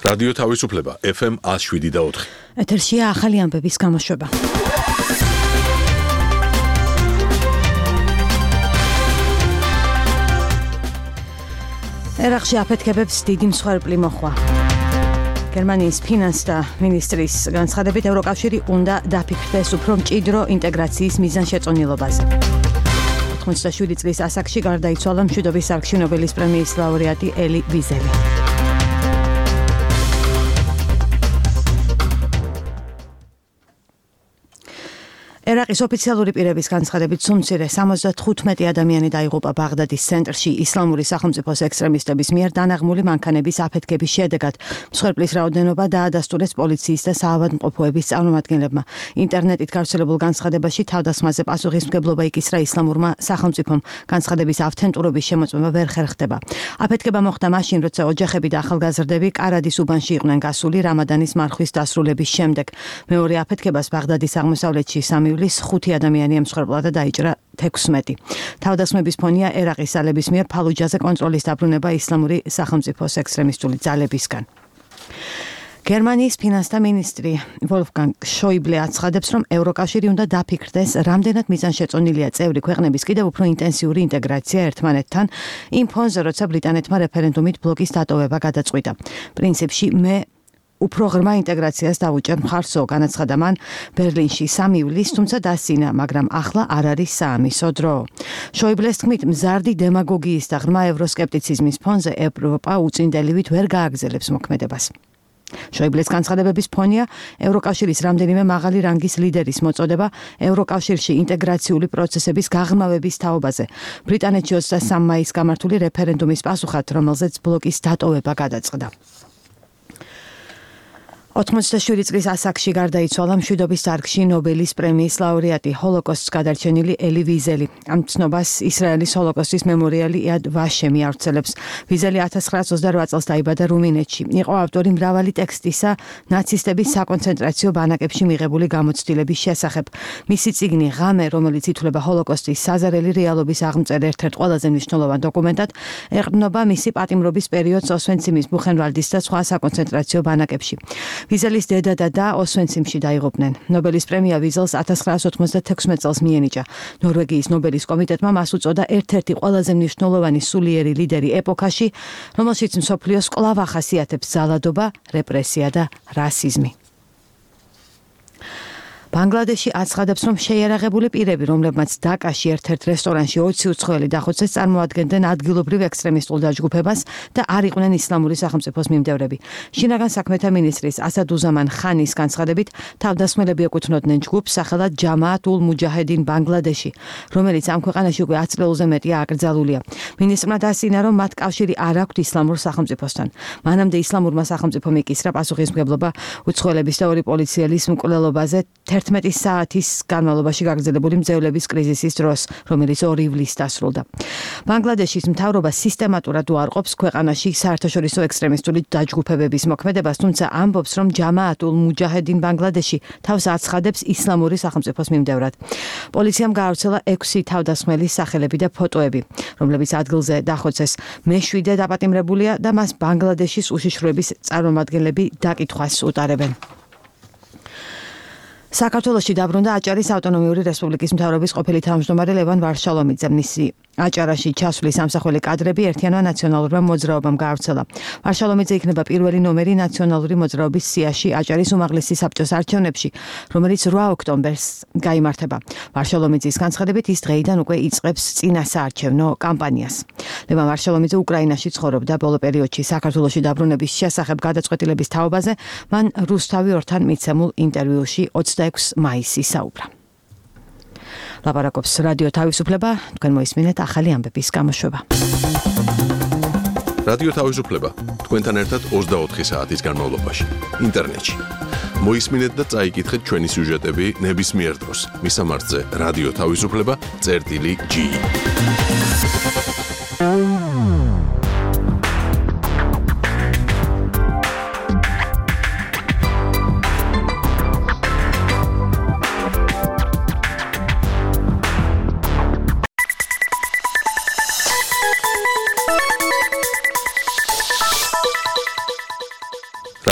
რადიო თავისუფლება FM 107.4. ეთერშია ახალი ამბების გამოშვება. ერაყში აფეთქებებს დიდი მსხვერპლი მოხვა. გერმანიის ფინანსთა მინისტრის განცხადებით ევროკავშირი უნდა დაფიქრდეს უფრო მჭიდრო ინტეგრაციის მიზანშეწონილობაზე. 87 წლის ასაკში გარდაიცვალა მშვიდობის სარგში ნობელის პრემიის ლაურეატი ელი ვიზელი. ერაყის ოფიციალური პირების განცხადებით სულ მცირე 75 ადამიანი დაიღუპა ბაღდადის ცენტრში ისლამური სახელმწიფოს ექსტრემისტების მიერ დანაღმული მანქანების აფეთქების შედეგად. მსხვერპლის რაოდენობა დაადასტურეს პოლიციის და საავადმყოფოების წარმომადგენლებმა. ინტერნეტით გავრცელებულ განცხადებაში თავდასხმაზე პასუხისმგებლობა იკისრა ისლამურმა სახელმწიფომ. განცხადების ავთენტურობის შემოწმება ვერ ხერხდება. აფეთქება მოხდა მაშინ, როცა ოჯახები და ახალგაზრდები კარადის უბანში იყვნენ გასული რამადანის მარხვის დასრულების შემდეგ. მეორე აფეთქებას ბაღდადის აღმოსავლეთში 5 ადამიანი ემსხვერპლა და დაიჭრა 16. თავდასხმების ფონია ერაყის ძალების მიერ ფალუჯაზე კონტროლის დაბრუნება ისლამური სახელმწიფოს ექსტრემისტული ძალებისგან. გერმანიის ფინანსთა მინისტრი ვოლფგანგ შოიბლე აცხადებს, რომ ევროკავშირი უნდა დაფიქრდეს, რამდენად მიზანშეწონილია წევრი ქვეყნების კიდევ უფრო ინტენსიური ინტეგრაცია ერთმანეთთან იმ ფონზე, როცა ბრიტანეთმა რეფერენდუმით ბლოკის დატოვება გადაწყვიტა. პრინციპში მე უფრო ღრმა ინტეგრაციას დაუჭერ მხარსო, განაცხადა მან ბერლინში 3 ივლისს, თუმცა დასცინა, მაგრამ ახლა არ არის საამისო დრო. შოიბლეს თქმით, მზარდი დემაგოგიის და ღრმა ევროსკეპტიციზმის ფონზე ევროპა უწინდელივით ვერ გააგრძელებს მოქმედებას. შოიბლეს განცხადებების ფონია ევროკავშირის რამდენიმე მაღალი რანგის ლიდერის მოწოდება ევროკავშირში ინტეგრაციული პროცესების გაღრმავების თაობაზე. ბრიტანეთში 23 მაისს გამართული რეფერენდუმის პასუხად, რომელზეც ბლოკის დატოვება გადაწყდა. 87 წლის ასაკში გარდაიცვალა მშვიდობის სარგში ნობელის პრემიის ლაურეატი, ჰოლოკოსტს გადარჩენილი ელი ვიზელი. ამ ცნობას ისრაელის ჰოლოკოსტის მემორიალი იად ვაშემი ავრცელებს. ვიზელი 1928 წელს დაიბადა რუმინეთში. იყო ავტორი მრავალი ტექსტისა ნაცისტების საკონცენტრაციო ბანაკებში მიღებული გამოცდილების შესახებ. მისი წიგნი ღამე, რომელიც ითვლება ჰოლოკოსტის საზარელი რეალობის აღმწერ ერთ-ერთ ყველაზე მნიშვნელოვან დოკუმენტად, ეყრდნობა მისი პატიმრობის პერიოდს ოსვენციმის, ბუხენვალდის და სხვა საკონცენტრაციო ბანაკებში. ვიზელის დედა და და ოსვენციმში დაიღუპნენ. ნობელის პრემია ვიზელს 1996 წელს მიენიჭა. ნორვეგიის ნობელის კომიტეტმა მას უწოდა ერთ-ერთი ყველაზე მნიშვნელოვანი სულიერი ლიდერი ეპოქაში, რომელშიც მსოფლიოს კვლავ ახასიათებს ზალადობა, რეპრესია და რასიზმი. ბანგლადეში აცხადებს, რომ შეიარაღებული პირები, რომლებმაც დაკაში ერთ-ერთ რესტორანში 20 უცხოელი დახოცეს, წარმოადგენდნენ ადგილობრივ ექსტრემისტულ დაჯგუფებას და არ იყვნენ ისლამური სახელმწიფოს მიმდევრები. შინაგან საქმეთა მინისტრის ასადუზამან ხანის განცხადებით, თავდასხმელები ეკუთვნოდნენ ჯგუფს სახელად ჯამაათ ულ მუჯაჰედინ ბანგლადეში, რომელიც ამ ქვეყანაში უკვე 10 წელზე მეტია აკრძალულია. მინისტრმა დასცინა, რომ მათ კავშირი არ აქვთ ისლამურ სახელმწიფოსთან. მანამდე ისლამურმა სახელმწიფომ იკისრა პასუხისმგებლობა უცხოელების და ორი პოლიციელის მკვლელობაზე 11 საათის განმავლობაში გაგრძელებული მძევლების კრიზისის დროს, რომელიც 2 ივლისს დასრულდა. ბანგლადეშის მთავრობა სისტემატურად უარყოფს ქვეყანაში საერთაშორისო ექსტრემისტული დაჯგუფებების მოქმედებას, თუმცა ამბობს, რომ ჯამაათ ულ მუჯაჰედინ ბანგლადეში თავს აცხადებს ისლამური სახელმწიფოს მიმდევრად. პოლიციამ გაავრცელა 6 თავდასხმელის სახელები და ფოტოები, რომლებიც ადგილზე დახოცეს. მე-7 დაპატიმრებულია და მას ბანგლადეშის უშიშროების წარმომადგენლები დაკითხვას უტარებენ. საქართველოში დაბრუნდა აჭარის ავტონომიური რესპუბლიკის მთავრობის ყოფილი თავმჯდომარე ლევან ვარშალომიძე. მისი აჭარაში ჩასვლის ამსახველი კადრები ერთიანმა ნაციონალურმა მოძრაობამ გაავრცელა. ვარშალომიძე იქნება პირველი ნომერი ნაციონალური მოძრაობის სიაში აჭარის უმაღლესი საბჭოს არჩევნებში, რომელიც 8 ოქტომბერს გაიმართება. ვარშალომიძის განცხადებით, ის დღეიდან უკვე იწყებს წინასაარჩევნო კამპანიას. ლევან ვარშალომიძე უკრაინაში ცხოვრობდა. ბოლო პერიოდში საქართველოში დაბრუნების შესახებ გადაწყვეტილების თაობაზე მან რუსთავი ორთან მიცემულ ინტერვიუში 26 მაისს ისაუბრა. ლაპარაკობს რადიო თავისუფლება, თქვენ მოისმინეთ ახალი ამბების გამოშვება. რადიო თავისუფლება, თქვენთან ერთად 24 საათის განმავლობაში, ინტერნეტში. მოისმინეთ და წაიკითხეთ ჩვენი სიუჟეტები ნებისმიერ დროს. მისამართზე რადიო თავისუფლება.ge.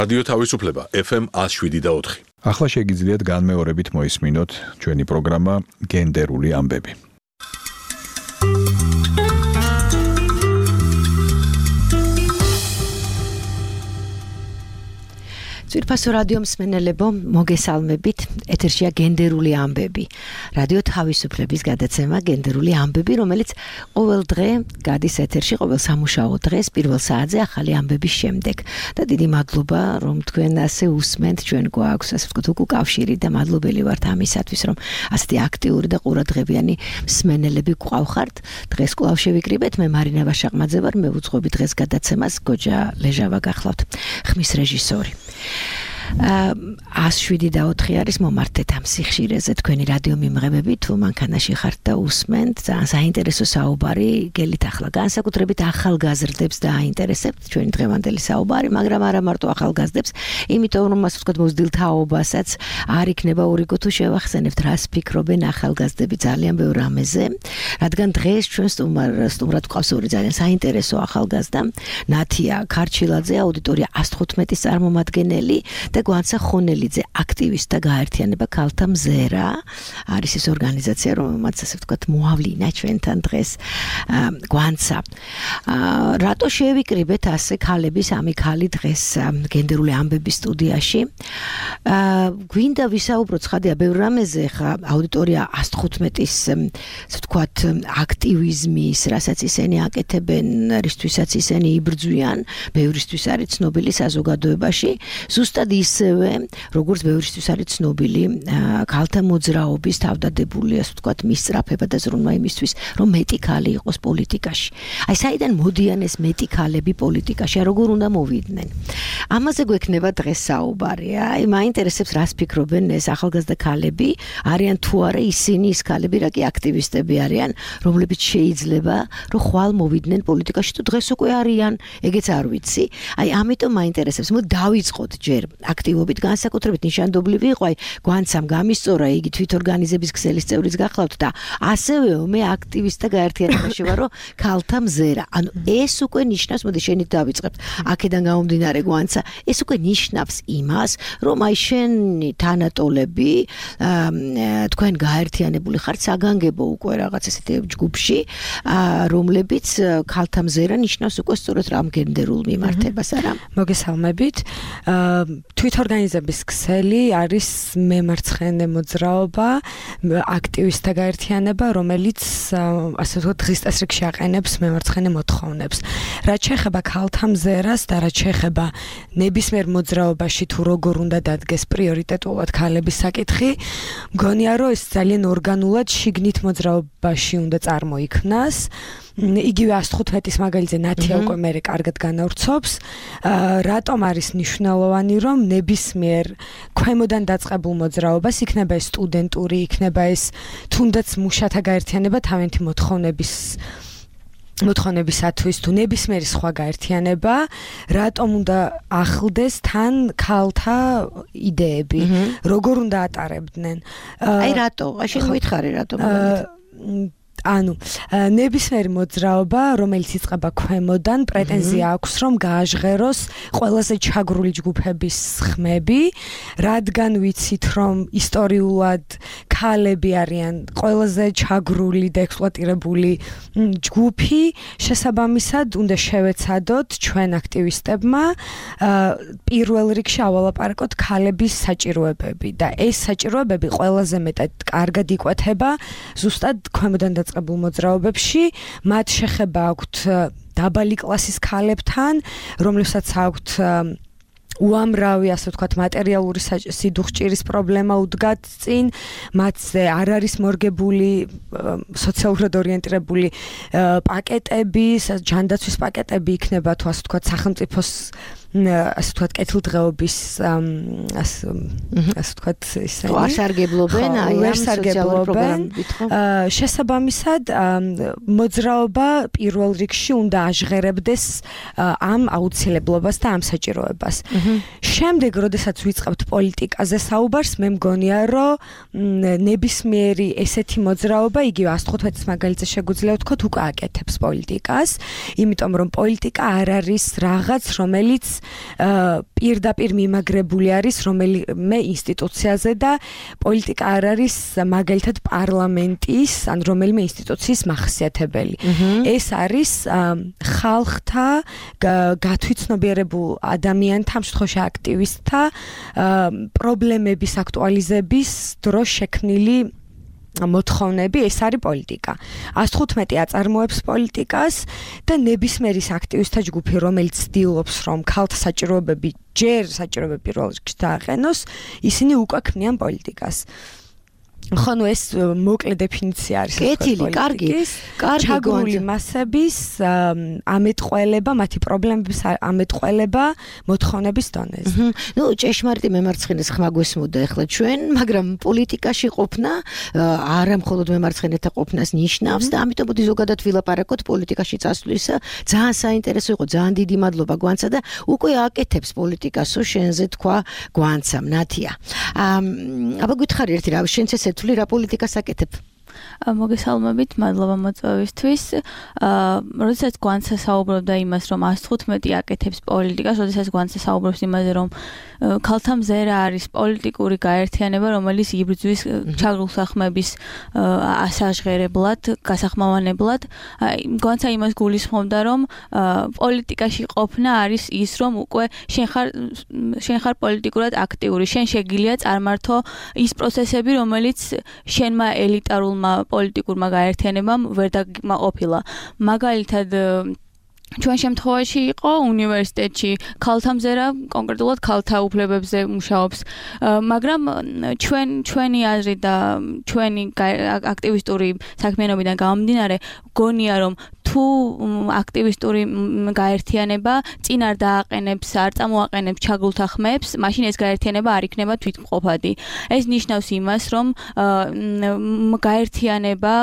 რადიო თავისუფლება FM 107.4. ახლა შეგიძლიათ განმეორებით მოისმინოთ ჩვენი პროგრამა გენდერული ამბები. ძვირფასო რადიო მსმენელებო, მოგესალმებით. ეთერშია გენდერული ამბები. რადიო თავისუფლების გადაცემა გენდერული ამბები, რომელიც ყოველ დღე გადის ეთერში, ყოველ სამუშაო დღეს პირველ საათზე ახალი ამბების შემდეგ. და დიდი მადლობა, რომ თქვენ ასე უსმენთ, ჩვენ გვაქვს, ასე ვთქვათ, უკავშირი და მადლობელი ვართ ამისათვის, რომ ასეთი აქტიური და ყურადღებიანი მსმენელები გვყავხართ. დღეს კვლავ შევიკრიბეთ, მე მარინა ვაშაყმაძე ვარ, მე ვუძღვები დღეს გადაცემას, გოჯა ლეჟავა გახლავთ, ხმის რეჟისორი. 107.4 არის მომართეთ ამ სიხშირეზე თქვენი რადიო მიმღებები თუ მანქანაში ხართ და უსმენთ ძალიან საინტერესო საუბარი გელით ახლა განსაკუთრებით ახალგაზრდებს დააინტერესებთ ჩვენი დღევანდელი საუბარი მაგრამ არა მარტო ახალგაზრდებს იმიტომ რომ ასე ვთქვათ მოზრდილ თაობასაც არ იქნება ურიგო თუ შევახსენებთ რას ფიქრობენ ახალგაზრდები ძალიან ბევრ რამეზე რადგან დღეს ჩვენ სტუმრად გვყავს ორი ძალიან საინტერესო ახალგაზრდა ნათია ქარჩილაძე აუდიტორია 115-ის წარმომადგენელი და გვანცა ხონელიძე აქტივისტთა გაერთიანება ქალთა მზერა არის ეს ორგანიზაცია რომელმაც ასე ვთქვათ მოავლინა ჩვენთან დღეს გვანცა რატო შევიკრიბეთ ასე ქალების ამი ქალი დღეს გენდერული ამბების სტუდიაში გვინდა ვისაუბროთ ხადია ბევრ რამეზე ხა აუდიტორია 115-ის ასე ვთქვათ აქტივიზმის რასაც ისინი აკეთებენ რისთვისაც ისინი იბრძვიან ბევრისთვის არის ცნობილი საზოგადოებაში ზუსტად ისევე როგორც ბევრისთვის არის ცნობილი ქალთა მოძრაობის თავდადებული ასე ვთქვათ მისწრაფება და ზრუნვა იმისთვის რომ მეტი ქალი იყოს პოლიტიკაში. აი საიდან მოდიან ეს მეტი ქალები პოლიტიკაში, როგორ უნდა მოვიდნენ. ამაზე გვექნება დღეს საუბარი. აი მაინტერესებს რას ფიქრობენ ეს ახალგაზრდა ქალები, არიან თუ არა ისინი ის ქალები, რა კი აქტივისტები არიან, რომლებიც შეიძლება რომ ხვალ მოვიდნენ პოლიტიკაში თუ დღეს უკვე არიან, ეგეც არ ვიცი. აი ამიტომ მაინტერესებს, მოდი დავიწყოთ ჯერ აქტივობით განსაკუთრებით ნიშანდობლივი იყო აი გვანცამ გამისწორა იგი თვითორგანიზების ქსელის წევრიც გახლავთ და ასევე მე აქტივისტთა გაერთიანებაში ვარ რომ ქალთა მზერა ანუ ეს უკვე ნიშნავს მოდი შენით დავიწყებთ აქედან გამომდინარე გვანცა ეს უკვე ნიშნავს იმას რომ აი შენი თანატოლები თქვენ გაერთიანებული ხართ საგანგებო უკვე რაღაც ესეთი ჯგუფში რომლებიც ქალთა მზერა ნიშნავს უკვე სწორედ რამ გენდერულ მიმართებას არა მოგესალმებით თვითორგანიზების ქსელი არის მემარცხენე მოძრაობა, აქტივისტთა გაერთიანება, რომელიც ასე ვთქვათ დღის წესრიგში აყენებს მემარცხენე მოთხოვნებს. რაც შეეხება ქალთა მზერას და რაც შეეხება ნებისმიერ მოძრაობაში თუ როგორ უნდა დადგეს პრიორიტეტულად ქალების საკითხი, მგონია რომ ეს ძალიან ორგანულად შიგნით მოძრაობაში უნდა წარმოიქმნას. იგივე 115-ის მაგალითზე ნათია უკვე მე კარგად განავრცობს რატომ არის მნიშვნელოვანი რომ ნებისმიერ ქვემოდან დაწყებულ მოძრაობას იქნება ეს სტუდენტური იქნება ეს თუნდაც მუშათა გაერთიანება თავენთი მოთხოვნებისათვის თუ ნებისმიერი სხვა გაერთიანება რატომ უნდა ახლდეს თან ქალთა იდეები როგორ უნდა ატარებდნენ აი რატო შენ მოითხარი რატომ ანუ ნებისმიერი მოძრაობა რომელიც იწყება ქვემოდან პრეტენზია აქვს რომ გააჟღეროს ყველაზე ჩაგრული ჯგუფების ხმები რადგან ვიცით რომ ისტორიულად ქალები არიან ყველაზე ჩაგრული და ექსპლუატირებული ჯგუფი შესაბამისად უნდა შევეცადოთ ჩვენ აქტივისტებმა პირველ რიგში ავალაპარაკოთ ქალების საჭიროებები და ეს საჭიროებები ყველაზე მეტად კარგად იკვეთება ზუსტად ქვემოდან დაწყებულ მოძრაობებში მათ შეხება აქვთ დაბალი კლასის ქალებთან რომლებსაც აქვთ უამრავი ასე ვთქვათ მატერიალური სიდუხჭირის პრობლემა უდგათ წინ მათზე არ არის მორგებული სოციალურად ორიენტირებული პაკეტები ჯანდაცვის პაკეტები იქნება თუ ასე ვთქვათ სახელმწიფოს ასე ვთქვათ კეთილდღეობის ასე ვთქვათ ისე ვარსარგებლობენ აი ამ სოციალურ პროგრამებით ხო შესაბამისად მოძრაობა პირველ რიგში უნდა აჟღერებდეს ამ აუცილებლობას და ამ საჭიროებას შემდეგ როდესაც ვიწყებთ პოლიტიკაზე საუბარს მე მგონია რომ ნებისმიერი ესეთი მოძრაობა იგივე 115-ის მაგალითზე შეგვიძლია ვთქვათ უკვე აკეთებს პოლიტიკას იმიტომ რომ პოლიტიკა არ არის რაღაც რომელიც პირდაპირ მიმაგრებული არის რომელიმე ინსტიტუციაზე და პოლიტიკა არ არის მაგალითად პარლამენტის ან რომელიმე ინსტიტუციის მახასიათებელი. ეს არის ხალხთა გათვითცნობიერებულ ადამიანთა, ამ შემთხვევაში აქტივისტთა პრობლემების აქტუალიზების დროს შექმნილი მოთხოვნები, ეს არის პოლიტიკა. 115 აწარმოებს პოლიტიკას და ნებისმიერი აქტივისტთა ჯგუფი, რომელიც ცდილობს, რომ ქალთა საჭიროებები ჯერ საჭიროებები პირველ რიგში დააყენოს, ისინი უკვე ქმნიან პოლიტიკას. ხო, ნუ ეს მოკლე დეფინიცია არის. კეთილი, კარგი. ჩაგრული მასების ამეტყველება, მათი პრობლემების ამეტყველება მოთხოვნების დონეზე. ნუ ჭეშმარიტი მემარცხენეს ხმა გვესმოდა ახლა ჩვენ, მაგრამ პოლიტიკაში ყოფნა არა მხოლოდ მემარცხენეთა ყოფნას ნიშნავს და ამიტომ მოდი ზოგადად ვილაპარაკოთ პოლიტიკაში წასვლისა. ძალიან საინტერესო იყო, ძალიან დიდი მადლობა გვანცა და უკვე აკეთებს პოლიტიკასო შენზე თქვა გვანცამ, ნათია. აბა გითხარი ერთი რა, შენც ესე თვლი რა პოლიტიკას აკეთებ? მოგესალმებით, მადლობა მოწვევისთვის. როდესაც გვანცა საუბრობდა იმას, რომ 115 აკეთებს პოლიტიკას, როდესაც გვანცა საუბრობს იმაზე, რომ ქალთა მზერა არის პოლიტიკური გაერთიანება, რომელიც იბრძვის ჩაგრულ სახმების ასაჟღერებლად, გასახმოვანებლად, გვანცა იმას გულისხმობდა, რომ პოლიტიკაში ყოფნა არის ის, რომ უკვე შენ ხარ პოლიტიკურად აქტიური, შენ შეგიძლია წარმართო ის პროცესები, რომელიც შენმა ელიტარულმა პოლიტიკურმა გაერთიანებამ ვერ დაგმაყოფილა. მაგალითად ჩვენ შემთხვევაში იყო უნივერსიტეტში ქალთა მზერა, კონკრეტულად ქალთა უფლებებზე მუშაობს, მაგრამ ჩვენი აზრი და ჩვენი აქტივისტური საქმიანობიდან გამომდინარე, გონია რომ თუ აქტივისტური გაერთიანება წინ არ დააყენებს, არ წამოაყენებს ჩაგულთა ხმებს, მაშინ ეს გაერთიანება არ იქნება თვითმყოფადი. ეს ნიშნავს იმას, რომ გაერთიანება,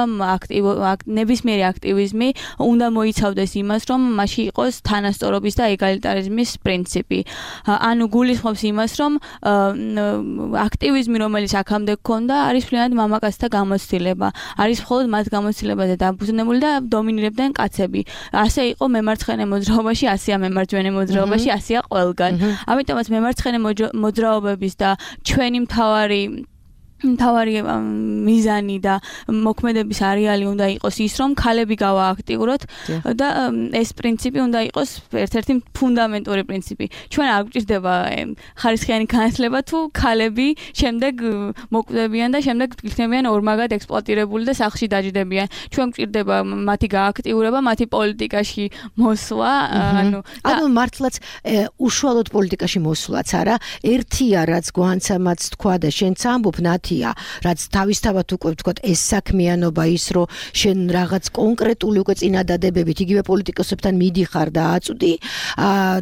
ნებისმიერი აქტივიზმი უნდა მოიცავდეს იმას, რომ მასში იყოს თანასწორობის და ეგალიტარიზმის პრინციპი. ანუ გულისხმობს იმას, რომ აქტივიზმი, რომელიც აქამდე გქონდა, არის მთლიანად მამაკაცთა გამოცდილება. არის მხოლოდ მათ გამოცდილებაზე დაფუძნებული და დომინირებდნენ კაცები. ასე იყო მემარცხენე მოძრაობაში, ასეა მემარჯვენე მოძრაობაში, ასეა ყველგან. ამიტომაც მემარცხენე მოძრაობების და ჩვენი მთავარი მიზანი და მოქმედების არეალი უნდა იყოს ის, რომ ქალები გავააქტიუროთ და ეს პრინციპი უნდა იყოს ერთ-ერთი ფუნდამენტური პრინციპი. ჩვენ არ გვჭირდება ხარისხიანი განათლება თუ ქალები შემდეგ მოკვდებიან და შემდეგ იქნებიან ორმაგად ექსპლუატირებული და სახლში დაჯდებიან. ჩვენ გვჭირდება მათი გააქტიურება, მათი პოლიტიკაში მოსვლა, ანუ მართლაც უშუალოდ პოლიტიკაში მოსვლაც არა, ერთია რაც გვანცამაც თქვა და შენც ამბობ რაც თავისთავად უკვე ვთქვათ ეს საქმიანობა ის რომ შენ რაღაც კონკრეტული უკვე წინადადებებით იგივე პოლიტიკოსებთან მიდიხარ და აწვდი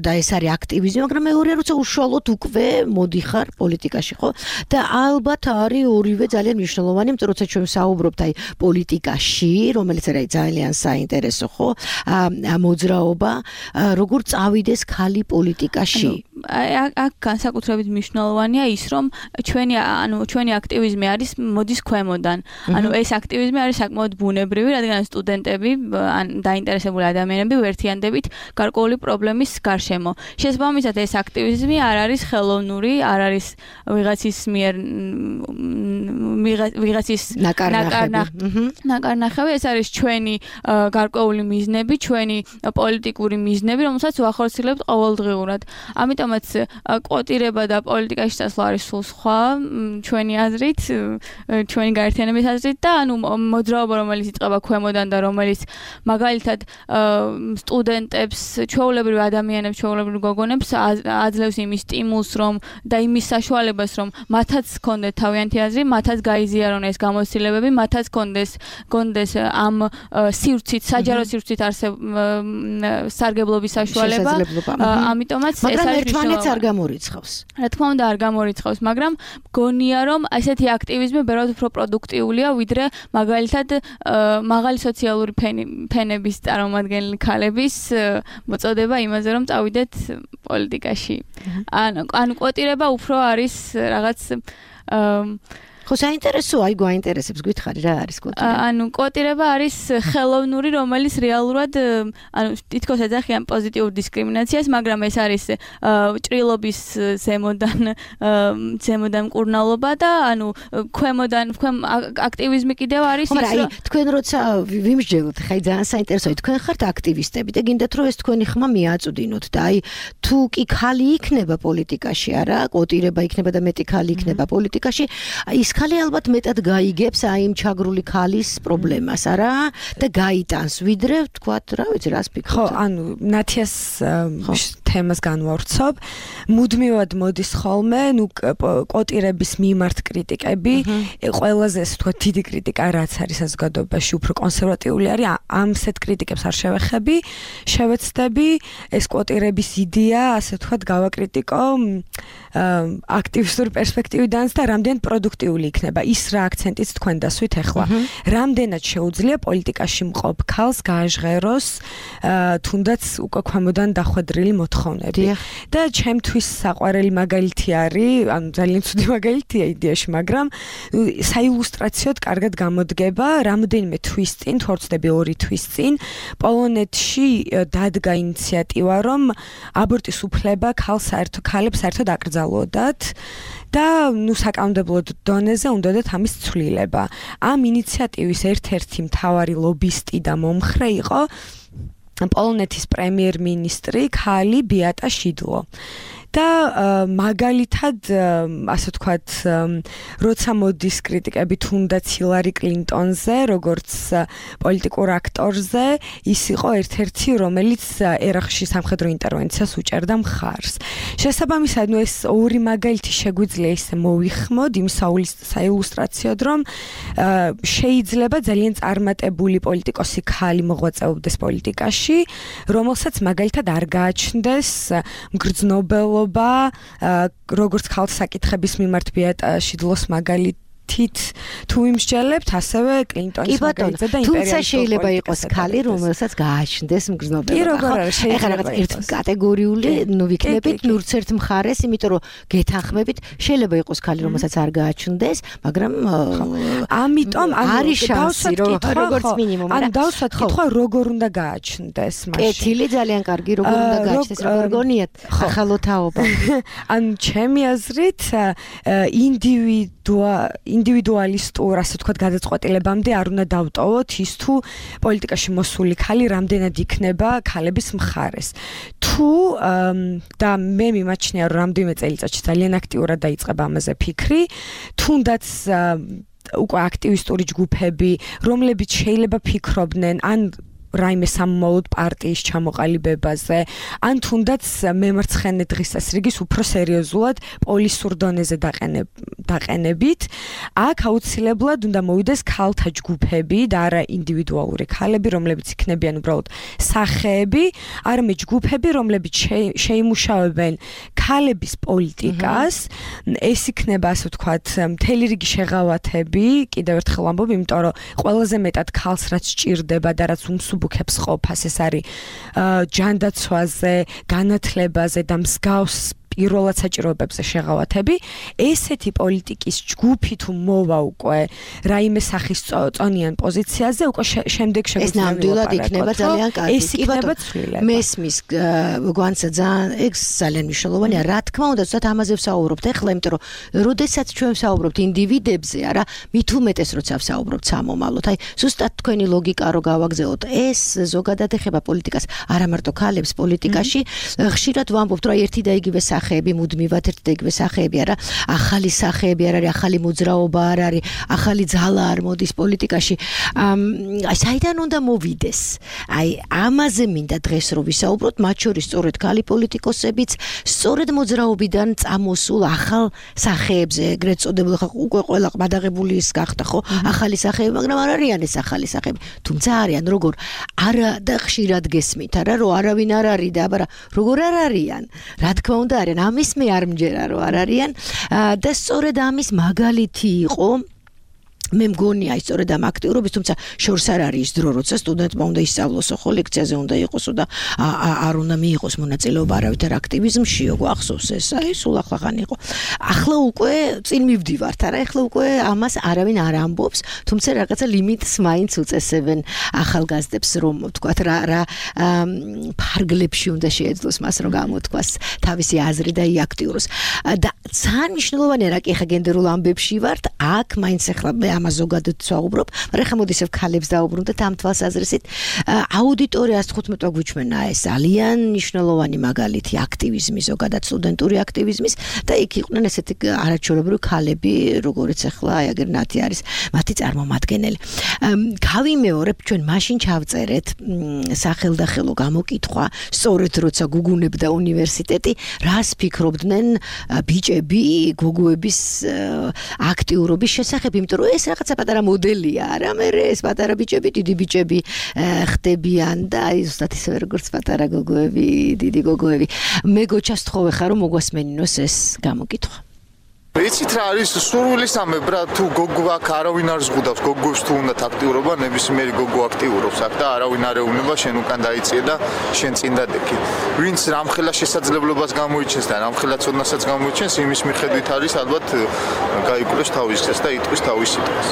და ეს არის აქტივიზმი, მაგრამ მეორე როცა უშუალოდ უკვე მოდიხარ პოლიტიკაში, ხო? და ალბათ არის ორივე ძალიან მნიშვნელოვანი, იმიტომ როცა ჩვენ საუბრობთ აი პოლიტიკაში, რომელიც არის ძალიან საინტერესო, ხო? მოძრაობა, როგორ წავიდეს ხალი პოლიტიკაში? აქ განსაკუთრებით მნიშვნელოვანია ის, რომ ჩვენი აქტივიზმი არის მოდის ქვემოდან. ანუ ეს აქტივიზმი არის საკმაოდ ბუნებრივი, რადგან სტუდენტები ან დაინტერესებული ადამიანები ვერთიანდებით გარკვეული პრობლემის გარშემო. შესაბამისად ეს აქტივიზმი არ არის ხელოვნური, არ არის ვიღაცის ნაკარნახევი, ეს არის ჩვენი გარკვეული მიზნები, ჩვენი პოლიტიკური მიზნები, რომელსაც ვახორციელებთ ყოველდღიურად. ამიტომაც კვოტირება და პოლიტიკაში წასვლა არის სულ სხვა ჩვენი აზრით, ჩვენი გაერთიანების აზრით და ანუ მოძრაობა, რომელიც იწყება ქვემოდან და რომელიც მაგალითად სტუდენტებს, ჩვეულებრივ ადამიანებს, ჩვეულებრივ გოგონებს აძლევს იმის სტიმულს, რომ და იმის საშუალებას, რომ მათაც ჰქონდეთ თავიანთი აზრი, მათაც გაიზიარონ ეს გამოცდილებები, მათაც ჰქონდეს ამ სივრცით, საჯარო სივრცით სარგებლობის საშუალება. ამიტომაც ეს არის ერთმანეთს არ გამორიცხავს. რა თქმა უნდა არ გამორიცხავს, მაგრამ გონია რომ ესეთი აქტივიზმი ბევრად უფრო პროდუქტიულია, ვიდრე მაგალითად მაღალი სოციალური ფენების წარმომადგენელი ქალების მოწოდება იმაზე, რომ წავიდეთ პოლიტიკაში. ანუ კვოტირება უფრო არის რაღაც ხო, საინტერესოა, აი გვაინტერესებს, გითხარი რა არის კვოტირება? ანუ კვოტირება არის ხელოვნური, რომელიც რეალურად თითქოს ეძახიან პოზიტიურ დისკრიმინაციას, მაგრამ ეს არის ჭრილობის ზემოდან მკურნალობა და ანუ ქვემოდან აქტივიზმი კიდევ არის ის, რომ თქვენ როცა ვიმსჯელოთ, ხა ძალიან საინტერესოა, თქვენ ხართ აქტივისტები და გინდათ რომ ეს თქვენი ხმა მიაწვდინოთ და აი თუ კი ხალი იქნება პოლიტიკაში, არა, კვოტირება იქნება და მეტი ხალი იქნება პოლიტიკაში, ის ხალი ალბათ მეტად გაიგებს აი იმ ჩაგრული ხალის პრობლემას, არა? და გაიტანს, ვიდრე თქვათ, რა ვიცი, რას ფიქრობთ? ხო, ანუ ნათიას თემას განვავრცობ. მუდმივად მოდის ხოლმე, ნუ კვოტირების მიმართ კრიტიკები, ყველაზე ასე ვთქვათ, დიდი კრიტიკა რაც არის საზოგადოებაში, უფრო კონსერვატიული არის, ამსეთ კრიტიკებს არ შევეხები, შევეცდები, ეს კვოტირების იდეა, ასე ვთქვათ, გავაკრიტიკო აქტივისტური პერსპექტივიდანაც და რამდენად პროდუქტიული იქნება ის რა აქცენტიც თქვენ დასვით ახლა. რამდენად შეუძლია პოლიტიკაში მყოფ ქალს გააჟღეროს თუნდაც უკვე ქვემოდან დახვედრილი მოთხოვნები. და ჩემთვის საყვარელი მაგალითი არის, ანუ ძალიან ცუდი მაგალითია იდეაში, მაგრამ საილუსტრაციოდ კარგად გამოდგება რამდენიმე თვის წინ, თუ არ ვცდები 2 თვის წინ, პოლონეთში დადგა ინიციატივა, რომ აბორტის უფლება ქალებს საერთოდ აკრძალოდათ და ნუ საკანონმდებლო დონეზე უნდათ ამის ცვლილება. ამ ინიციატივის ერთ-ერთი მთავარი ლობისტი და მომხრე იყო პოლონეთის პრემიერ-მინისტრი ქალი ბიატა შიდლო. და მაგალითად, ასე ვთქვათ, როცა მოდის კრიტიკები თუნდაც ჰილარი კლინტონზე, როგორც პოლიტიკურ აქტორზე, ის იყო ერთ-ერთი, რომელიც ერაყში სამხედრო ინტერვენციას უჭერდა მხარს. შესაბამისად, ნუ ეს ორი მაგალითი შეგვიძლია ისე მოვიხმოთ იმ საილუსტრაციოდ, რომ შეიძლება ძალიან წარმატებული პოლიტიკოსი ქალი მოღვაწეობდეს პოლიტიკაში, რომელსაც მაგალითად არ გააჩნდეს მგრძნობელობა როგორც ქალთა საკითხების მიმართ ბიატა შიდლოს მაგალითით თუ იმსჯელებთ, ასევე კლინტონის მაგალითზე და იმპერიალისტურ თუმცა შეიძლება იყოს ქალი, რომელსაც გააჩნდეს მგრძნობელობა. ეხლა რაღაც ერთ კატეგორიული ნუ ვიქნებით ნურც ერთ მხარეს, იმიტომ რომ გეთანხმებით, შეიძლება იყოს ქალი, რომელსაც არ გააჩნდეს, მაგრამ ამიტომ არის შანსი, როგორც მინიმუმ. ან დავსვათ კითხვა, როგორ უნდა გააჩნდეს მაშინ. კეთილი ძალიან კარგი, როგორ უნდა გააჩნდეს, როგორ გონიათ ახალო თაობა. ან ჩემი აზრით, ინდივიდუალისტურ, ასე ვთქვათ, გადაწყვეტილებამდე არ უნდა დავტოვოთ ის თუ პოლიტიკაში მოსული ქალი რამდენად იქნება ქალების მხარეს. თუ და მე მიმაჩნია, რომ რამდენიმე წელიწადში ძალიან აქტიურად დაიწყება ამაზე ფიქრი, თუნდაც უკვე აქტივისტური ჯგუფები, რომლებიც შეიძლება ფიქრობდნენ ან რაიმე სამომავლოდ პარტიის ჩამოყალიბებაზე, ან თუნდაც მემარცხენე დღის წესრიგის უფრო სერიოზულად პოლისურ დონეზე დაყენებით, აქ აუცილებლად უნდა მოვიდეს ქალთა ჯგუფები და არა ინდივიდუალური ქალები, რომლებიც იქნებიან უბრალოდ სახეები, არამედ ჯგუფები, რომლებიც შეიმუშავებენ ქალების პოლიტიკას, ეს იქნება, ასე ვთქვათ, მთელი რიგი შეღავათები, კიდევ ერთხელ ვამბობ, იმიტომ რომ ყველაზე მეტად ქალს რაც სჭირდება და რაც ბუქებს ყოფას, ეს არის ჯანდაცვაზე, განათლებაზე და მსგავს პირველად საჭიროებებზე შეღავათები. ესეთი პოლიტიკის ჯგუფი თუ მოვა უკვე რაიმე სახის წონიან პოზიციაზე, უკვე შემდეგ შეგვიძლია ნამდვილად იქნება ძალიან კარგი. ეს იქნება ცვლილება. მესმის გვანცა ძალიან ეს ძალიან მნიშვნელოვანია. რა თქმა უნდა, ზუსტად ამაზე ვსაუბრობთ ახლა, იმიტომ რომ როდესაც ჩვენ ვსაუბრობთ ინდივიდებზე, არა, მით უმეტეს როცა ვსაუბრობთ სამომავლოდ. აი, ზუსტად თქვენი ლოგიკა რო გავაგზავნოთ, ეს ზოგადად ეხება პოლიტიკას, არა მარტო ქალებს პოლიტიკაში. ხშირად ვამბობთ, რომ ერთი და იგივე სახეები მუდმივად ერთი და იგივე სახეები არა, ახალი სახეები არ არის, ახალი მოძრაობა არ არის, ახალი ძალა არ მოდის პოლიტიკაში. აი, საიდან უნდა მოვიდეს? აი, ამაზე მინდა დღეს რო ვისაუბროთ, მათ შორის სწორედ ქალი პოლიტიკოსებიც, სწორედ მოძრაობიდან წამოსულ ახალ სახეებზე, ეგრეთ წოდებულ, ხა უკვე ყველა ყმადაღებული ის გახდა, ხო? ახალი სახეები, მაგრამ არ არიან ეს ახალი სახეები. თუმცა არიან, როგორ არა და ხშირად გესმით, არა, რომ არავინ არ არის და აბა როგორ არ არიან. რა თქმა უნდა არიან, ამის მე არ მჯერა რომ არ არიან და სწორედ ამის მაგალითი იყო მე მგონია ის სწორედ ამ აქტიურობის, თუმცა შორს არ არის ის დრო, როცა სტუდენტმა უნდა ისწავლოსო, ხო, ლექციაზე უნდა იყოსო და არ უნდა მიიღოს მონაწილეობა არავითარ აქტივიზმშიო, გვახსოვს ეს, აი სულ ახლახან იყო. ახლა უკვე წინ მივდივართ, არა, ახლა უკვე ამას არავინ არ ამბობს, თუმცა რაღაცა ლიმიტს მაინც უწესებენ ახალგაზრდებს, რომ ვთქვათ რა ფარგლებში უნდა შეეძლოს მას, რომ გამოთქვას თავისი აზრი და იაქტიუროს. და ძალიან მნიშვნელოვანია, რა კი ახლა გენდერულ ამბებში ვართ, აქ მაინც ახლა ამას ზოგადად ვსაუბრობ, მაგრამ ხა მოდი ისევ ქალებს დავუბრუნდეთ ამ თვალსაზრისით. აუდიტორია 115 გვიჩვენა ეს ძალიან მნიშვნელოვანი მაგალითი აქტივიზმის, ზოგადად სტუდენტური აქტივიზმის და იქ იყვნენ ესეთი არაჩვეულებრივი ქალები, როგორიც ახლა აი აგერ ნათი არის მათი წარმომადგენელი. გავიმეორებ, ჩვენ მაშინ ჩავწერეთ სახელდახელო გამოკითხვა, სწორედ როცა გუგუნებდა უნივერსიტეტი, რას ფიქრობდნენ ბიჭები გოგოების აქტიურობის შესახებ, იმიტომ რომ ეს რაღაცა პატარა მოდელია, არა, მე ეს პატარა ბიჭები, დიდი ბიჭები ხდებიან და აი ზუსტად ისე როგორც პატარა გოგოები, დიდი გოგოები. მე გოჩას თხოვე ხარ რომ მოგვასმენინოს ეს გამოკითხვა. იცით რა არის სურვილი სამებრა თუ გოგო აქ არავინ არ ზღუდავს გოგოს თუ უნდათ აქტიურობა ნებისმიერი გოგო აქტიურობს აქ და არავინ არ ეუბნება შენ უკან დაიწიე და შენ წინ დადექი ვინც რამხელა შესაძლებლობას გამოიჩენს და რამხელა ცოდნასაც გამოიჩენს იმის მიხედვით არის ალბათ გაიკვლევს თავის წეს და იტყვის თავის სიტყვას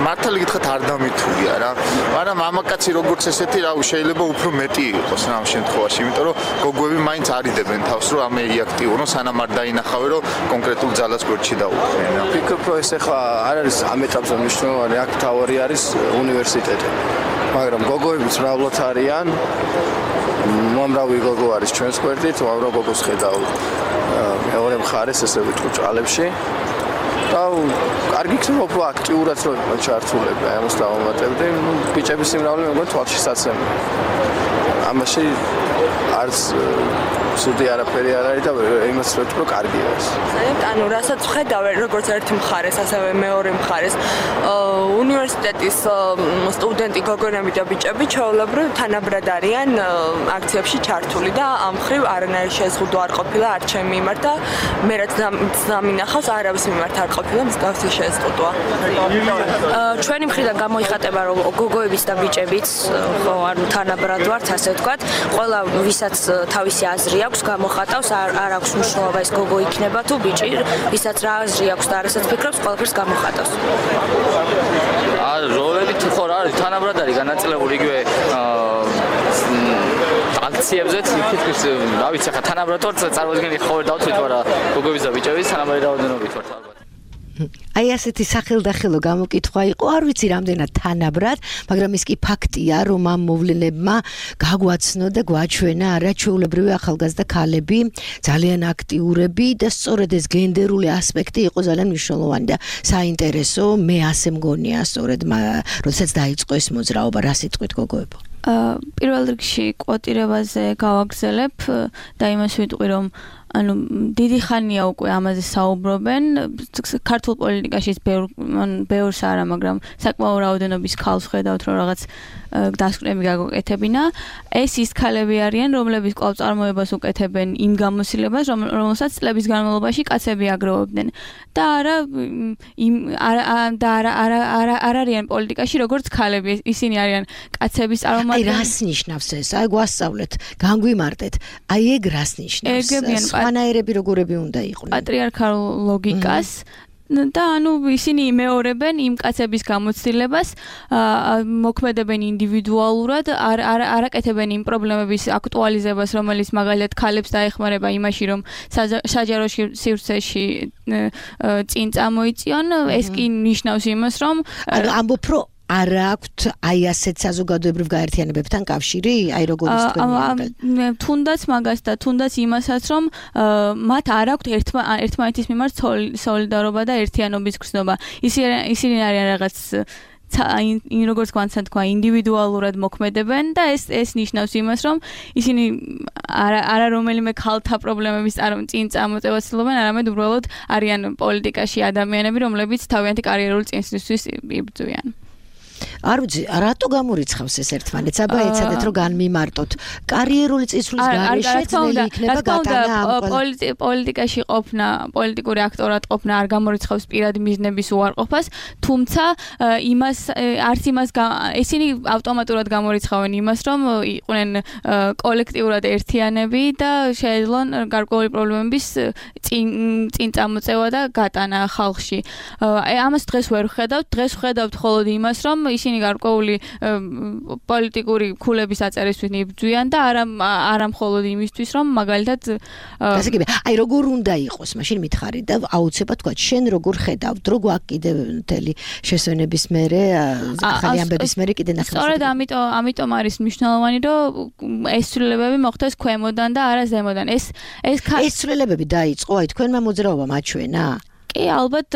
მართალი გითხრათ არ დამითულია რა მაგრამ მამაკაცი როგორც ესეთი რა შეიძლება უფრო მეტი იყოს რა ამ შემთხვევაში იმიტომ რომ გოგოები მაინც არიდებენ თავს რომ ამე იაქტიურონ სანამ არ დაინახავენ რომ კონკრეტულ ძალას ფიქრობ რომ ეს ახლა არ არის ამ ეტაპზე მნიშვნელოვანი აქ თავი არის უნივერსიტეტი მაგრამ გოგოებიც მრავლად არიან მომრავი გოგო არის ჩვენს გვერდით უამრავ გოგოს ხედავ მეორე მხარეს ესე ვიტყვი ჭალებში და კარგი იქნება უფრო აქტიურად რომ ჩართულები ამას დავამატებდი ბიჭების სიმრავლე მეგონი თვალში საცემი ამაში არც სუდი არაფერი არ არის და იმას ვეთქვი რომ კარგია ეს. ანუ რასაც ვხედავ როგორც ერთი მხარეს, ასევე მეორე მხარეს, უნივერსიტეტის სტუდენტი გოგონები და ბიჭები ჩვეულებრივ თანაბრად არიან აქციებში ჩართული და ამ მხრივ არანაირი შეზღუდვა არ ყოფილა არ ჩემი მიმართ და მე რაც დამინახავს არავის მიმართ არ ყოფილა მსგავსი შეზღუდვა. ჩვენი მხრიდან გამოიხატება რომ გოგოებიც და ბიჭებიც ხო ანუ თანაბრად ვართ ასე ვთქვათ, ყველა ვისაც თავისი აზრი აქვს გამოხატავს არ აქვს მნიშვნელობა ეს გოგო იქნება თუ ბიჭი ვისაც რა აზრი აქვს და რასაც ფიქრობს ყველაფერს გამოხატავს როლები ხო რა არის თანაბრად არის განაწილებული იგივე აქციებზე თითქოს რა ვიცი ხა თანაბრად ვარ წარმოიდგინე ხო ვერ დავთვლით მაგრამ გოგოების და ბიჭების თანაბარი რაოდენობით ვართ ალბათ აი ასეთი სახელდახელო გამოკითხვა იყო, არ ვიცი რამდენად თანაბრად, მაგრამ ის კი ფაქტია, რომ ამ მოვლენებმა გაგვაცნო და გვაჩვენა არაჩვეულებრივი ახალგაზრდა ქალები, ძალიან აქტიურები და სწორედ ეს გენდერული ასპექტი იყო ძალიან მნიშვნელოვანი და საინტერესო, მე ასე მგონია, სწორედ როდესაც დაიწყო ეს მოძრაობა, რა სიტყვით გოგოებო? პირველ რიგში კვოტირებაზე გავაგზელებ და იმას ვიტყვი, რომ ანუ დიდი ხანია უკვე ამაზე საუბრობენ ქართულ პოლიტიკაში ბევრს არა მაგრამ საკმაო რაოდენობის ქალს ხედავთ რომ რაღაც დასკვნები გაგაკეთებინა ეს ის ქალები არიან რომლებიც კვლავ წარმოებას უკეთებენ იმ გამოცდილებას რომელსაც წლების განმავლობაში კაცები აგროვებდნენ და არ არიან პოლიტიკაში როგორც ქალები ისინი არიან კაცების წარმომადგენლები აი რას ნიშნავს ეს აი გვასწავლეთ განგვიმარტეთ აი ეგ რას ნიშნავს ანაერები როგორები უნდა იყვნენ პატრიარქალ ლოგიკას და ანუ ისინი იმეორებენ იმ კაცების გამოცდილებას მოქმედებენ ინდივიდუალურად არ აკეთებენ იმ პრობლემების აქტუალიზებას რომელიც მაგალითად ქალებს დაეხმარება იმაში რომ საჯარო სივრცეში წინ წამოიწიონ ეს კი ნიშნავს იმას რომ ამბობ რომ არ აქვთ აი ასეთ საზოგადოებრივ გაერთიანებებთან კავშირი, აი როგორ ის თქვენი თუნდაც მაგას და თუნდაც იმასაც რომ მათ არ აქვთ ერთმანეთის მიმართ სოლიდარობა და ერთიანობის გრძნობა. ისინი არიან რაღაც როგორც გვანცად თქვა ინდივიდუალურად მოქმედებენ და ეს ნიშნავს იმას რომ ისინი არა რომელიმე ქალთა პრობლემების წინ წამოწევას ცდილობენ, არამედ უბრალოდ არიან პოლიტიკაში ადამიანები, რომლებიც თავიანთი კარიერული წინსვლისთვის იბრძვიან. არ ვიცი, რატო გამორიცხავს ეს ერთმანეთს? აბა ეცადეთ რომ განმიმარტოთ. კარიერული წინსვლის გარეშე ძნელი იქნება გატანა ამ პოლიტიკაში ყოფნა, პოლიტიკური აქტორად ყოფნა არ გამორიცხავს პირადი მიზნების უარყოფას, თუმცა არც იმას ისინი ავტომატურად გამორიცხავენ იმას, რომ იყვნენ კოლექტიურად ერთიანები და შეეძლონ გარკვეული პრობლემების წინ წამოწევა და გატანა ხალხში. ამას დღეს ვერ ვხედავთ, დღეს ვხედავთ მხოლოდ იმას, რომ ისინი გარკვეული პოლიტიკური ქულების აწერისთვის იბრძვიან და არა მხოლოდ იმისთვის, რომ მაგალითად ასე კი, აი როგორ უნდა იყოს, მაშინ მითხარი და აუცილებლად თქვა, შენ როგორ ხედავთ, რო გვაქვს კიდევ მთელი შესვენების მერე, ახალი ამბების მერე კიდე ნახევარ. სწორედ ამიტომ არის მნიშვნელოვანი, რომ ეს ცვლილებები მოხდეს ქვემოდან და არა ზემოდან. ეს ცვლილებები დაიწყო, აი თქვენმა მოძრაობამ აჩვენა? კი, ალბათ,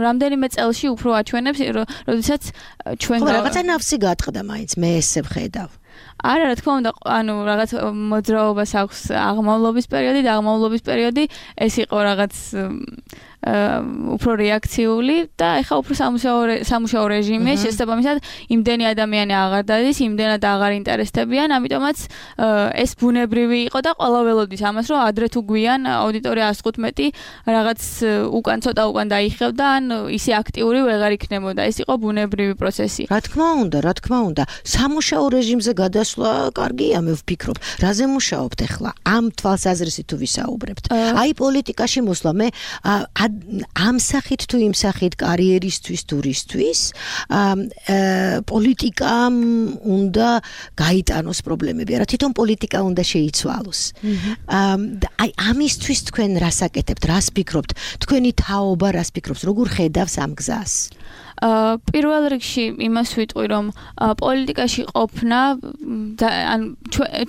რამდენიმე წელში უფრო აჩვენებს, როდესაც ჩვენ რაღაცა ნავსი გატყდა მაინც, მე ესე ვხედავ. არა, რა თქმა უნდა, რაღაც მოძრაობას აქვს აღმავლობის პერიოდი და აღმავლობის პერიოდი ეს იყო რაღაც უფრო რეაქციული და ეხლა უფრო სამუშაო რეჟიმია, შესაბამისად იმდენი ადამიანი აღარ დადის, იმდენად აღარ ინტერესდებიან, ამიტომაც ეს ბუნებრივი იყო და ყველა ველოდის ამას, რომ ადრე თუ გვიან აუდიტორია 115 რაღაც ცოტა უკან დაიხევდა, ან ისე აქტიური ვეღარ იქნებოდა. ეს იყო ბუნებრივი პროცესი. რა თქმა უნდა, სამუშაო რეჟიმზე გადასვლა კარგია, მე ვფიქრობ. რაზე მუშაობთ ახლა? ამ თვალსაზრისით თუ ვისაუბრებთ. აი პოლიტიკაში მოსვლა, მე ამ სახით თუ იმ სახით კარიერისთვის თურისთვის პოლიტიკამ უნდა გაიტანოს პრობლემები, არა თვითონ პოლიტიკა უნდა შეიცვალოს. აი ამისთვის თქვენ რას აკეთებთ, რას ფიქრობთ? თქვენი თაობა რას ფიქრობს, როგორ ხედავს ამ გზას? პირველ რიგში იმას ვიტყვი, რომ პოლიტიკაში ყოფნა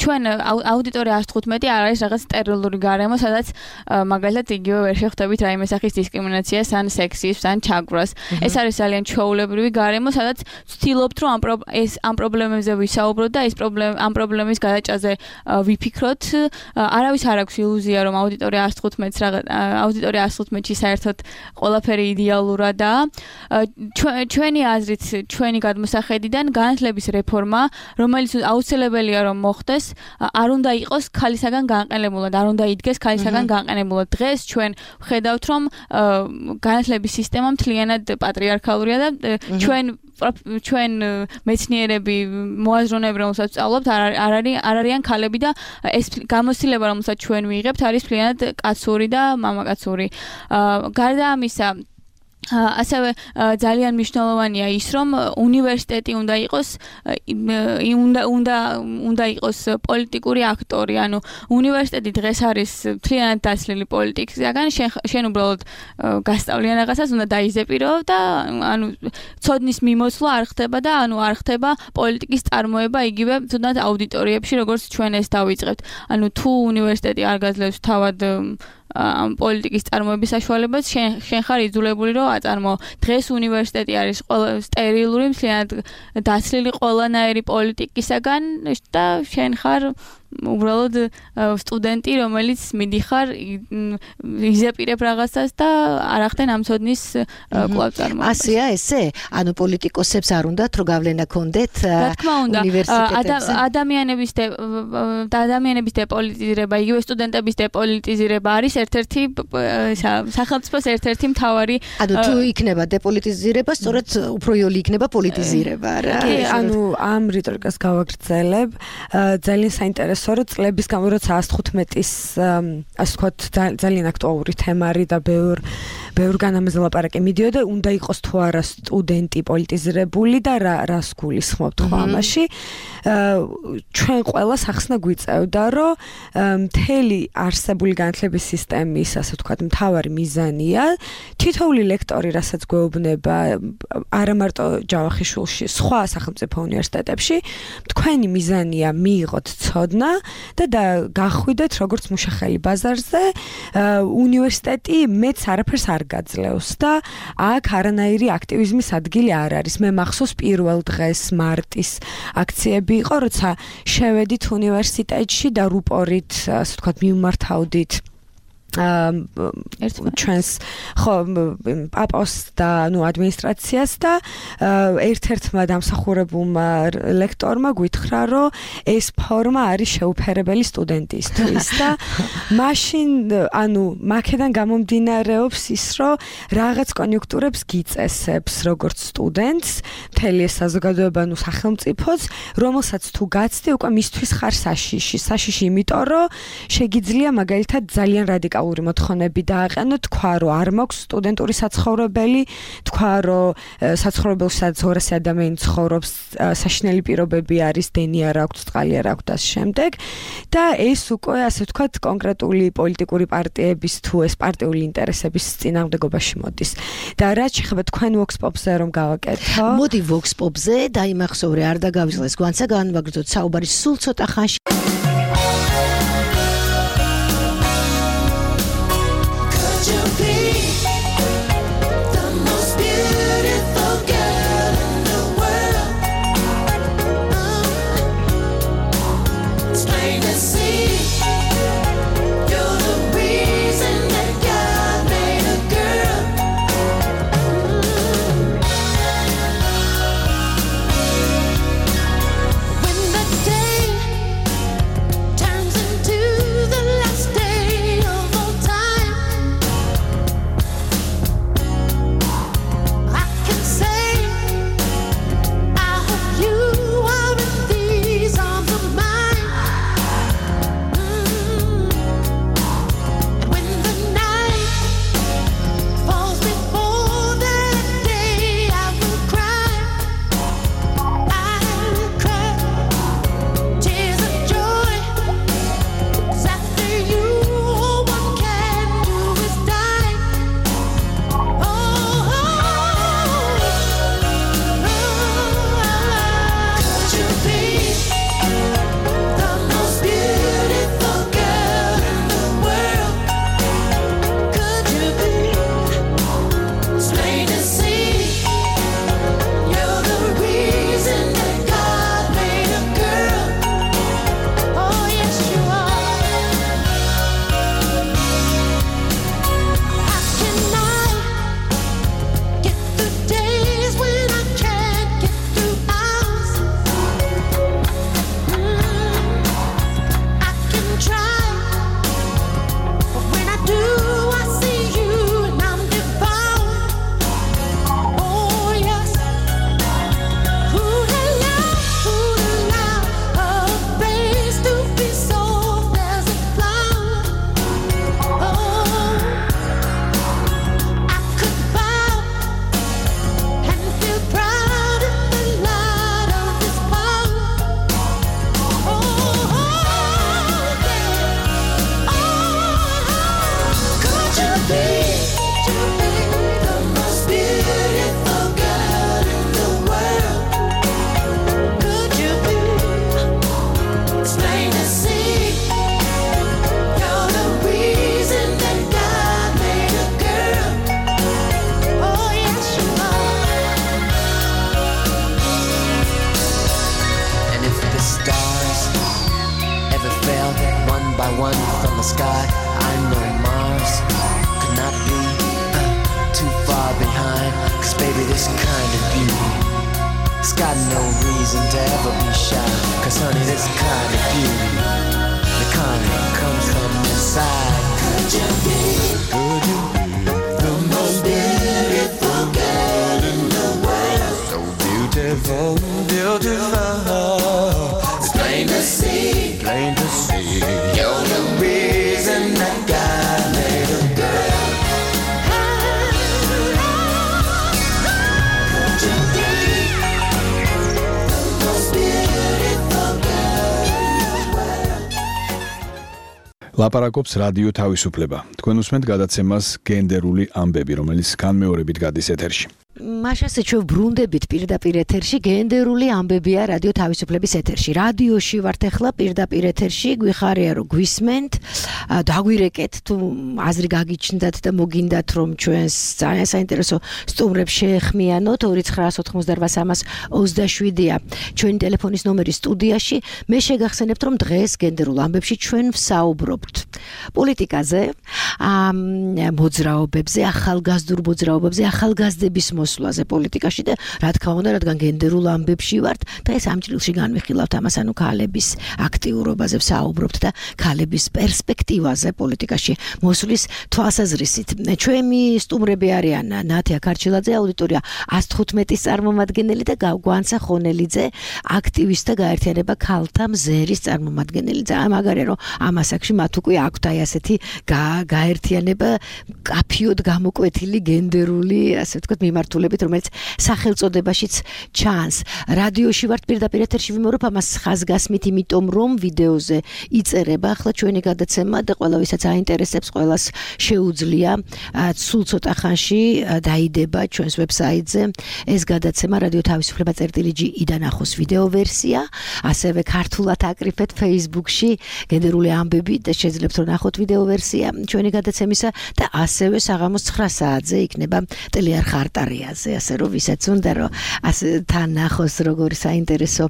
ჩვენ აუდიტორია 115 არ არის რაღაც სტერილური გარემო, სადაც მაგალითად იგივე ვერ შეხვდებით რაიმე სახის დისკრიმინაციას, ან სექსიზმს, ან ჩაგვრას. ეს არის ძალიან ჩვეულებრივი გარემო, სადაც ვცდილობთ, რომ ამ პრობლემებზე ვისაუბროთ და ამ პრობლემის გადაჭრაზე ვიფიქროთ. არავის არ აქვს ილუზია, რომ აუდიტორია 115-ში საერთოდ ყველაფერი იდეალურადაა. ჩვენი აზრით, ჩვენი გადმოსახედიდან განათლების რეფორმა, რომელიც აუცილებელია რომ მოხდეს, არ უნდა იყოს ქალისაგან განყენებულად, არ უნდა იდგეს ქალისაგან განყენებულად. დღეს ჩვენ ვხედავთ, რომ განათლების სისტემა მთლიანად პატრიარქალურია და ჩვენ მეცნიერები, მოაზროვნეები, რომელსაც ვსწავლობთ, არ არიან ქალები და ეს გამოცდილება, რომელსაც ჩვენ ვიღებთ, არის მთლიანად კაცური და მამაკაცური. გარდა ამისა, ასევე ძალიან მნიშვნელოვანია ის, რომ უნივერსიტეტი უნდა იყოს პოლიტიკური აქტორი, ანუ უნივერსიტეტი დღეს არის მთლიანად დაცლილი პოლიტიკისგან, შენ უბრალოდ გასწავლიან რაღაცას, უნდა დაიზეპირო და ანუ ცოდნის მიმოცვლა არ ხდება და არ ხდება პოლიტიკის წარმოება იგივე თუნდაც აუდიტორიებში, როგორც ჩვენ ეს დავიწყებთ. ანუ თუ უნივერსიტეტი არ გაძლევს თავად ამ პოლიტიკის წარმოების საშუალებას, შენ ხარ იძულებული რომ აწარმოო. დღეს უნივერსიტეტი არის სტერილური, მთლიანად დაცლილი ყველანაირი პოლიტიკისაგან და შენ ხარ უბრალოდ სტუდენტი, რომელიც მიდიხარ, იზეპირებ რაღაცას და არ ახდენ ამ ცოდნის კვლავ წარმოებას. ასეა ესე? ანუ პოლიტიკოსებს არ უნდათ რომ გავლენა ქონდეთ უნივერსიტეტებზე? ადამიანების დეპოლიტიზირება, იგივე სტუდენტების დეპოლიტიზირება არის ერთ-ერთი სახელმწიფოს ერთ-ერთი მთავარი. ანუ თუ იქნება დეპოლიტიზირება, სწორედ უფრო იოლი იქნება პოლიტიზირება, რა? კი, ანუ ამ რიტორიკას გავაგრძელებ. ძალიან საინტერესო რომ წლების განმავლობაში როცა 115-ის ასე ვთქვათ ძალიან აქტუალური თემა არის და ბევრგან ამაზე ლაპარაკი მიდიოდა, უნდა იყოს თუ არა სტუდენტი პოლიტიზირებული და რას გულისხმობთ ხო ამაში. ჩვენ ყველას ახსნა გვიწევდა, რომ მთელი არსებული განათლების სისტემის ასე ვთქვათ მთავარი მიზანია თითოეული ლექტორი, რასაც გვეუბნება არა მარტო ჯავახიშვილში, სხვა სახელმწიფო უნივერსიტეტებში, თქვენი მიზანია მიიღოთ ცოდნა და გახვიდეთ როგორც მუშახელი ბაზარზე, უნივერსიტეტი მეც არაფერს არ გაძლევს და აქ არანაირი აქტივიზმის ადგილი არ არის. მე მახსოვს პირველ დღეს მარტის აქციები იყო, როცა შევედით უნივერსიტეტში და რუპორით, ასე ვთქვათ, მიმართავდით ჩვენს ხო პაპოს და ადმინისტრაციას და ერთ-ერთმა დამსახურებულმა ლექტორმა გითხრა, რომ ეს ფორმა არის შეუფერებელი სტუდენტისთვის და მაშინ მაქედან გამომდინარეობს ის, რომ რაღაც კონიუნქტურებს გიწესებს როგორც სტუდენტს, მთელი ეს საზოგადოება, სახელმწიფოც, რომელსაც თუ გაცდი, უკვე მისთვის ხარ საშიში, იმიტომ რომ შეგიძლია მაგალითად ძალიან რადიკალური მოთხოვნები დააყენო, თქვა, რომ არ მაქვს სტუდენტური საცხოვრებელი, თქვა, რომ საცხოვრებელში სადაც 200 ადამიანი ცხოვრობს, საშინელი პირობები არის, დენი არ აქვს, წყალი არ აქვს და შემდეგ და ეს უკვე ასე ვთქვათ კონკრეტული პოლიტიკური პარტიების თუ ეს პარტიული ინტერესების წინააღმდეგობაში მოდის. და რაც შეხება თქვენ Vox Pop-ზე რომ გავაკეთო. მოდი Vox Pop-ზე დაიმახსოვრე, არ დაგავიწყდეს გვანცა განვაგრძოთ საუბარი სულ ცოტა ხანში. ლაპარაკობს რადიო თავისუფლება. თქვენ უსმენთ გადაცემას გენდერული ამბები, რომელიც განმეორებით გადის ეთერში. მაშასე ჩვენ ბრუნდებით პირდაპირ ეთერში გენდერული ამბებია რადიო თავისუფლების ეთერში. რადიოში ვართ ახლა პირდაპირ ეთერში, გვიხარია რომ გვისმენთ, დაგვირეკეთ თუ აზრი გაგიჩნდათ და მოგინდათ რომ ჩვენს ძალიან საინტერესო სტუმრებს შეეხმიანოთ 2988327-ია ჩვენი ტელეფონის ნომერი სტუდიაში. მე შეგახსენებთ რომ დღეს გენდერულ ამბებში ჩვენ ვსაუბრობთ პოლიტიკაზე, მოძრაობებზე, ახალგაზრდულ მოძრაობებზე, ახალგაზრდების მოსვლაზე პოლიტიკაში და რა თქმა უნდა, რადგან გენდერულ ამბებში ვართ და ეს ამ ჭრილში განვიხილავთ ამას, ანუ ქალების აქტიურობაზე ვსაუბრობთ და ქალების პერსპექტივაზე პოლიტიკაში მოსვლის თვალსაზრისით. ჩვენი სტუმრები არიან ნათია ქარჩილაძე, აუდიტორია 115-ის წარმომადგენელი და გვანცა ხონელიძე, აქტივისტთა გაერთიანება ქალთა მზერის წარმომადგენელი. ძალიან მაგარია რომ ამ ასაკში მათ უკვე აქვთ აი ასეთი გაერთიანება კაფიოდ გამოკვეთილი გენდერული, ასე ვთქვათ, მიმართულებით, რომელიც სახელწოდებაშიც ჩანს. რადიოში ვართ პირდაპირ ეთერში ვიმეორებ ამას ხაზგასმით, იმიტომ რომ ვიდეოზე იწერება ახლა ჩვენი გადაცემა და ყველა ვისაც აინტერესებს, ყველას შეუძლია სულ ცოტა ხანში დაიდება ჩვენს ვებსაიტზე ეს გადაცემა რადიო თავისუფლება.gi-დან ახოს ვიდეო ვერსია, ასევე ქართულად აკრიფეთ Facebook-ში გენდერული ამბები და შეძლებთ რომ ნახოთ ვიდეო ვერსია ჩვენი გადაცემისა და ასევე საღამოს 9 საათზე იქნება ტელეარხ არტარიაზე, ასე რომ ვისაც უნდა რომ ასე თან ნახოს როგორი საინტერესო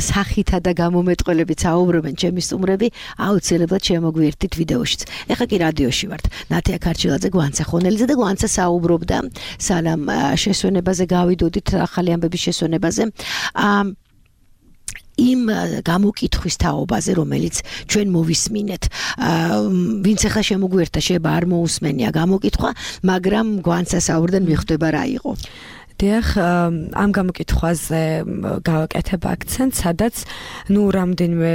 სახითა და გამომეტყველებით საუბრობენ ჩემი სტუმრები, აუცილებლად შემოგვიერთდით ვიდეოშიც. ეხლა კი რადიოში ვართ. ნათია ქარჩილაძე, გვანცა ხონელიძე და გვანცა საუბრობდა სალამ შესვენებაზე, გავიდოდით ახალი ამბების შესვენებაზე. იმ გამოკითხვის თაობაზე, რომელიც ჩვენ მოვისმინეთ. ვინც ახლა შემოგვიერთდა, შეიძლება არ მოусმენია გამოკითხვა, მაგრამ გვანცა საუბრიდან მიხვდება რა იყო. დიახ, ამ გამოკითხვაზე გავაკეთებ აქცენტს, სადაც რამდენიმე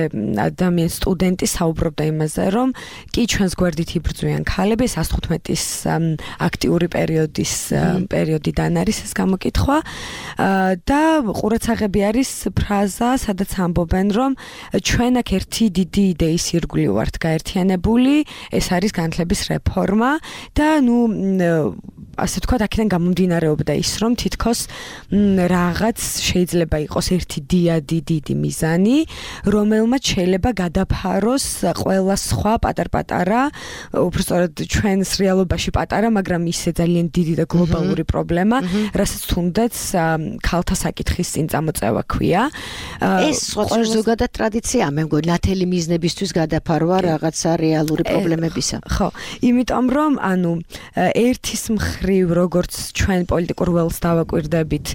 ადამიანი სტუდენტი საუბრობდა იმაზე, რომ კი ჩვენს გვერდით იბრძვიან ქალები, 115-ის აქტიური პერიოდიდან არის ეს გამოკითხვა და ყურადსაღები არის ფრაზა, სადაც ამბობენ, რომ ჩვენ აქ ერთი დიდი იდეის ირგვლივ ვართ გაერთიანებული, ეს არის განათლების რეფორმა და ასე ვთქვათ, აქედან გამომდინარეობდა ის, რომ თითქოს რაღაც შეიძლება იყოს ერთი დიდი მიზანი, რომელმაც შეიძლება გადაფაროს ყველა სხვა პატარ-პატარა, უბრალოდ ჩვენს რეალობაში პატარა, მაგრამ ისე ძალიან დიდი და გლობალური პრობლემა, რასაც თუნდაც ქალთა საკითხის წინ წამოწევა ქვია. ეს სხვა ზოგადად ტრადიცია, მე მგონი, ნათელი მიზნებისთვის გადაფარვა რაღაცა რეალური პრობლემებისა. ხო, იმიტომ რომ ერთის მხრივ როგორც ჩვენ პოლიტიკურ ველს დავაკვირდებით,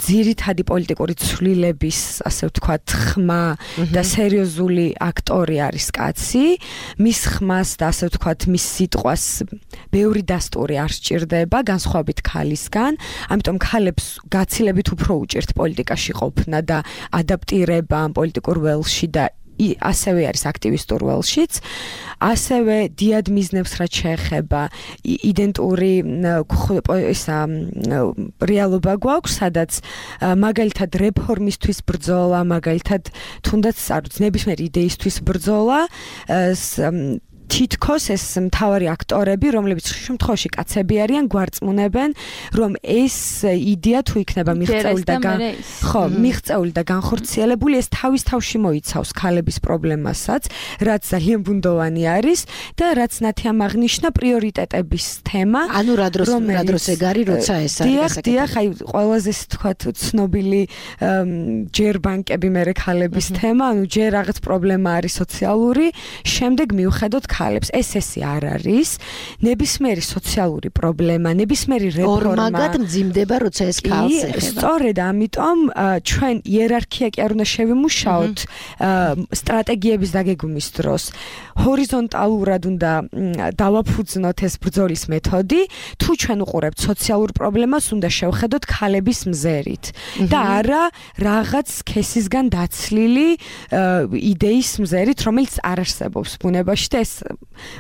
ძირითადი პოლიტიკური ცვლილების, ასე ვთქვათ, ხმა და სერიოზული აქტორი არის კაცი, მის ხმას და ასე ვთქვათ, მის სიტყვას ბევრი დასტური არ სჭირდება, განსხვავებით ქალისგან, ამიტომ ქალებს გაცილებით უფრო უჭირთ პოლიტიკაში ყოფნა და ადაპტირება ამ პოლიტიკურ ველში და ასევე არის აქტივისტურ ველშიც, ასევე დიად მიზნებს რაც შეეხება იდენტური რეალობა გვაქვს, სადაც მაგალითად რეფორმისთვის ბრძოლა, მაგალითად თუნდაც ნებისმიერი იდეისთვის ბრძოლა, თითქოს ეს მთავარი აქტორები, რომლებიც შემთხვევაში კაცები არიან, გვარწმუნებენ, რომ ეს იდეა თუ იქნება მიღწეული და განხორციელებული, ეს თავის თავში მოიცავს ქალების პრობლემასაც, რაც ძალიან ბუნდოვანი არის და რაც ნათიამ აღნიშნა პრიორიტეტების თემა. ანუ რა დროს ეგარი, როცა ეს არის. დიახ, აი ყველაზე თქვათ ცნობილი ჯერბანკები მერე ქალების თემა, ჯერ რაღაც პრობლემა არის სოციალური, შემდეგ მივხედოთ ქალებს. ეს არ არის ნებისმიერი სოციალური პრობლემა, ნებისმიერი რეფორმა. ორმაგად მძიმდება, როცა ეს ქალს ეხება. სწორედ ამიტომ ჩვენ იერარქია კი არ უნდა შევიმუშაოთ სტრატეგიების დაგეგმვის დროს. ჰორიზონტალურად უნდა დავაფუძნოთ ეს ბრძოლის მეთოდი, თუ ჩვენ უყურებთ სოციალურ პრობლემას, უნდა შევხედოთ ქალების მზერით და არა რაღაც სქესისგან დაცლილი იდეის მზერით, რომელიც არ არსებობს ბუნებაში და ეს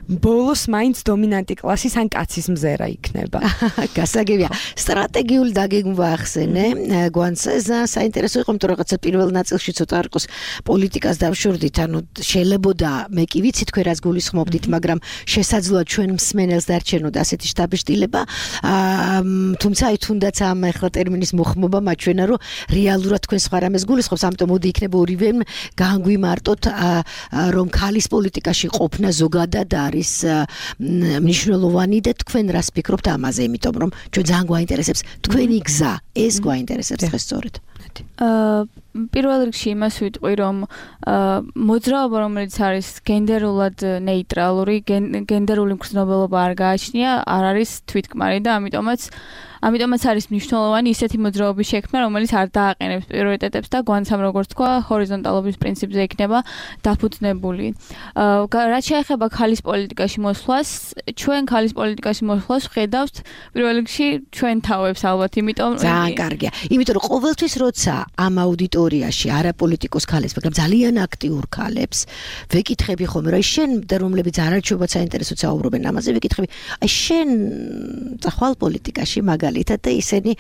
ბოლოს მაინც დომინანტი კლასის ან კაცის მზერა იქნება. გასაგებია. სტრატეგიული დაგეგმვა ახსენე. გვანცეზა საინტერესო იყო, იმიტომ რომ რაღაცა პირველ ნაწილში ცოტა არ იყოს პოლიტიკას დავშორდით, ანუ შეიძლება მე კი ვიცი თქვენ რაც გულისხმობდით, მაგრამ შესაძლოა ჩვენ მსმენელს დარჩენოდა ასეთი შტაბ-შტილება. თუმცა აი თუნდაც ამ ახლა ტერმინის მოხმობა მაჩვენა, რომ რეალურად თქვენ სხვა რამეს გულისხმობს, ამიტომ მოდი იქნება ორივემ განგვიმარტოთ, რომ ქალის პოლიტიკაში ყოფნა ზოგადად არის მნიშვნელოვანი და თქვენ რას ფიქრობთ ამაზე, იმიტომ რომ ჩვენ ძალიან გვაინტერესებს თქვენი გზა, ეს გვაინტერესებს დღეს სწორედ. პირველ რიგში იმას ვიტყვი, რომ მოძრაობა, რომელიც არის გენდერულად ნეიტრალური, გენდერული მგრძნობელობა არ გააჩნია, არ არის თვითკმარი და ამიტომაც არის მნიშვნელოვანი ისეთი მოძრაობის შექმნა, რომელიც არ დააყენებს პრიორიტეტებს და გვანცამ როგორც თქვა, ჰორიზონტალობის პრინციპზე იქნება დაფუძნებული. რაც შეეხება ქალის პოლიტიკაში მოსვლას, ჩვენ ქალის პოლიტიკაში მოსვლას ვხედავთ პირველ რიგში ჩვენ თავებს ალბათ, იმიტომ ძალიან კარგია. იმიტომ რომ ყოველთვის როცა ამ აუდიტორიაში არაპოლიტიკოს ქალებს, მაგრამ ძალიან აქტიურ ქალებს ვეკითხები ხოლმე, რომ შენ და რომლებიც არაჩვეულებრივ საინტერესოდ საუბრობენ ამაზე, ვეკითხები, აი შენ წახვალ პოლიტიკაში მაგალითად და ისინი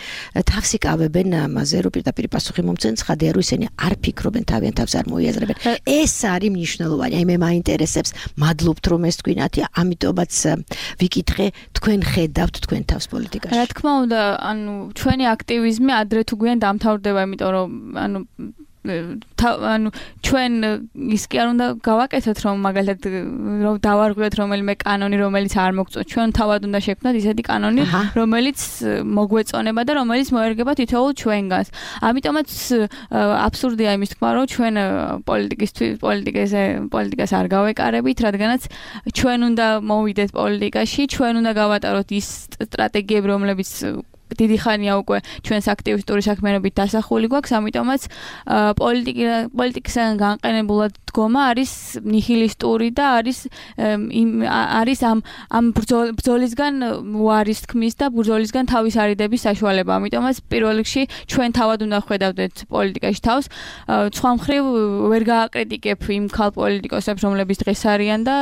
თავს იკავებენ ამაზე, რომ პირდაპირ პასუხი მომცენ, ცხადია რომ ისინი არ ფიქრობენ, თავიანთ თავს არ მოიაზრებენ. ეს არის მნიშვნელოვანი. აი მე მაინტერესებს, მადლობთ რომ ეს თქვინათი, ამიტომაც ვიკითხე, თქვენ ხედავთ თქვენ თავს პოლიტიკაში. რა თქმა უნდა, ანუ ჩვენი აქტივიზმი ადრე თუ გვიან დამთავრდება, იმიტომ რომ ჩვენ ის კი არ უნდა გავაკეთოთ, რომ მაგალითად რომ დავარღვიოთ რომელიმე კანონი, რომელიც არ მოგწონს. ჩვენ თავად უნდა შექმნათ ისეთი კანონი, რომელიც მოგვეწონება და რომელიც მოერგება თითოეულ ჩვენგანს. ამიტომაც აბსურდია იმის თქმა, რომ ჩვენ პოლიტიკას არ გავეკარებით, რადგანაც ჩვენ უნდა მოვიდეთ პოლიტიკაში, ჩვენ უნდა გავატაროთ ის სტრატეგიები, რომლებიც დიდი ხანია უკვე ჩვენს აქტივისტური საქმიანობით დასახული გვაქვს, ამიტომაც პოლიტიკისგან განყენებულად დგომა არის ნიჰილისტური და არის ამ ბრძოლისგან უარის თქმის და ბრძოლისგან თავის არიდების საშუალება. ამიტომაც პირველ რიგში ჩვენ თავად უნდა ხვედავდეთ პოლიტიკაში თავს. სხვა მხრივ ვერ გააკრიტიკებ იმ ქალ პოლიტიკოსებს, რომლებიც დღეს არიან და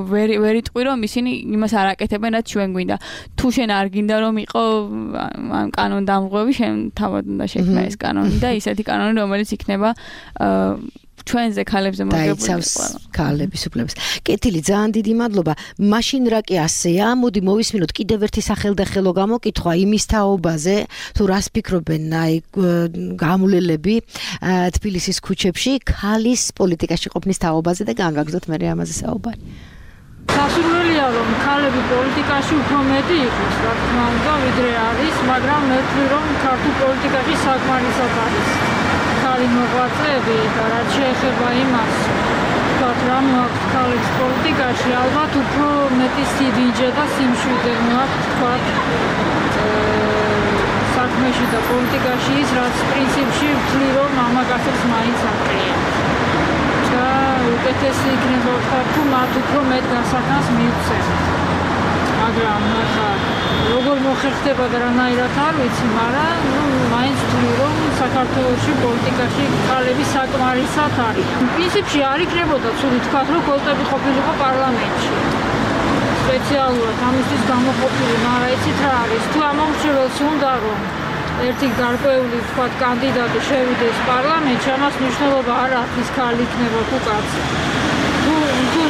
ვერ იტყვი, რომ ისინი იმას არ აკეთებენ, რაც ჩვენ გვინდა. თუ შენ არ გინდა რომ იყო ამ კანონდამღვევი, შენ თავად უნდა შექმნა ეს კანონი და ისეთი კანონი, რომელიც იქნება ჩვენზე ქალებზე მოგებული ქალების უფლების. კეთილი, ძალიან დიდი მადლობა. მაშინ რა კი ასეა, მოდი მოვისმინოთ კიდევ ერთი სახელდახელო გამოკითხვა იმის თაობაზე, თუ რას ფიქრობენ აი გამულელები თბილისის ქუჩებში ქალის პოლიტიკაში ყოფნის თაობაზე და განვაგრძოთ მე ამაზე საუბარი. სასურველია რომ ქალები პოლიტიკაში უფრო მეტი იყოს, რა თქმა უნდა, ვიდრე არის, მაგრამ მე ვთვლი რომ ქართულ პოლიტიკაში საკმარისად არის ქალი მოღვაწეები და რაც შეეხება იმას, ვთქვათ, რა მოაქვს ქალებს პოლიტიკაში, ალბათ უფრო მეტი სიდიჯე და სიმშვიდე მოაქვს, ვთქვათ, საქმეში და პოლიტიკაში ის, რაც პრინციპში ვთვლი რომ მამაკაცებს მაინც აკლია. უკეთესი იქნება ვთქვათ, თუ მათ უფრო მეტ გასახანს მიუწევთ. მაგრამ ახლა როგორ მოხერხდება და რანაირად არ ვიცი, მაგრამ მაინც ვთვლი, რომ საქართველოში პოლიტიკაში ქალები საკმარისად არის. პრინციპში არ იქნებოდა ცუდი თქვათ, რომ ქალები ყოფილიყო პარლამენტში. სპეციალურად ამისთვის გამოყოფილი, მაგრამ იცით რა არის, თუ ამომრჩეველს უნდა რომ ერთი გარკვეული ვთქვათ კანდიდატი შევიდეს პარლამენტში, ამას მნიშვნელობა არ აქვს ის ქალი იქნება თუ კაცი. თუ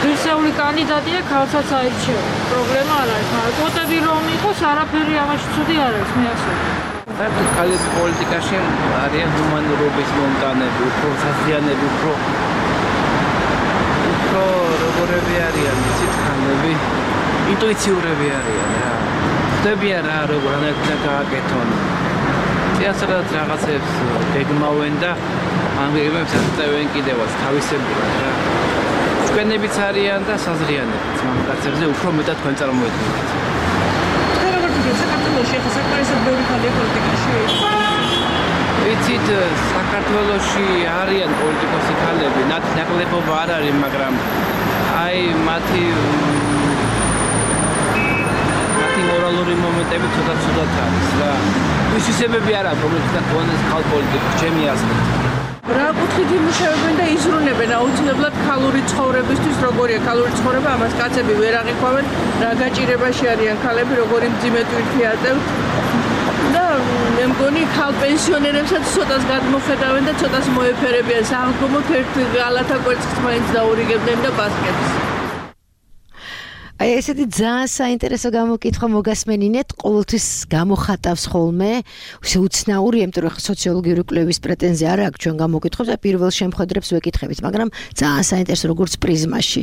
ღირსეული კანდიდატია, ქალსაც აირჩევა. პრობლემა არ არის, მაგრამ კვოტები რომ იყოს, არაფერი ამაში ცუდი არ არის, მე ასე ვთქვი. საერთოდ ქალები პოლიტიკაში არიან ჰუმანურობის მომტანები, უფრო საზიანები, უფრო როგორები არიან, იცით, ქალები ინტუიციურები არიან რა. ხდებიან რა, როგორ უნდა გააკეთონ. წიასწრად რაღაცებს გეგმავენ და ამ გეგმებს აწევენ კიდევაც თავისებურად რა. ჩვენებიც არიან და საზრიანებიც მამაკაცებზე უფრო მეტად თქვენ წარმოედგინეთ. თქვენ როგორ ვთქვით, საქართველოში ახლა საკმარისად ბევრი ქალია პოლიტიკაში? ვიცით, საქართველოში არიან პოლიტიკოსი ქალები, ნაკლებობა არ არის, მაგრამ აი მათი მორალური მომენტები ცოტა არის რა. ვისისებები არა, რომელთაც გონეს ქალ პოლიტიკაში, ჩემი აზრით. რა კუთხით იმუშავებენ და იზრუნებენ აუცილებლად ქალური ცხოვრებისთვის, როგორია ქალური ცხოვრება, ამას კაცები ვერ აღიქვამენ, რა გაჭირებაში არიან ქალები, როგორი მძიმე ტვირთი აწევთ. და მე მგონი ქალ პენსიონერებსაც ცოტას გადმოხედავენ და ცოტას მოეფერებიან, საღამომოთ ერთ გალათა კვერცხს მაინც დაურიგებდნენ და ბასკეტს. აი ესეთი ძალიან საინტერესო გამოკითხვა მოგასმენინეთ, ყოველთვის გამოხატავს ხოლმე, უცნაური, იმიტომ რომ სოციოლოგიური კვლევის პრეტენზია არ აქვს ჩვენ გამოკითხვებს და პირველ შემხედრებს ვეკითხებით, მაგრამ ძალიან საინტერესო როგორც პრიზმაში,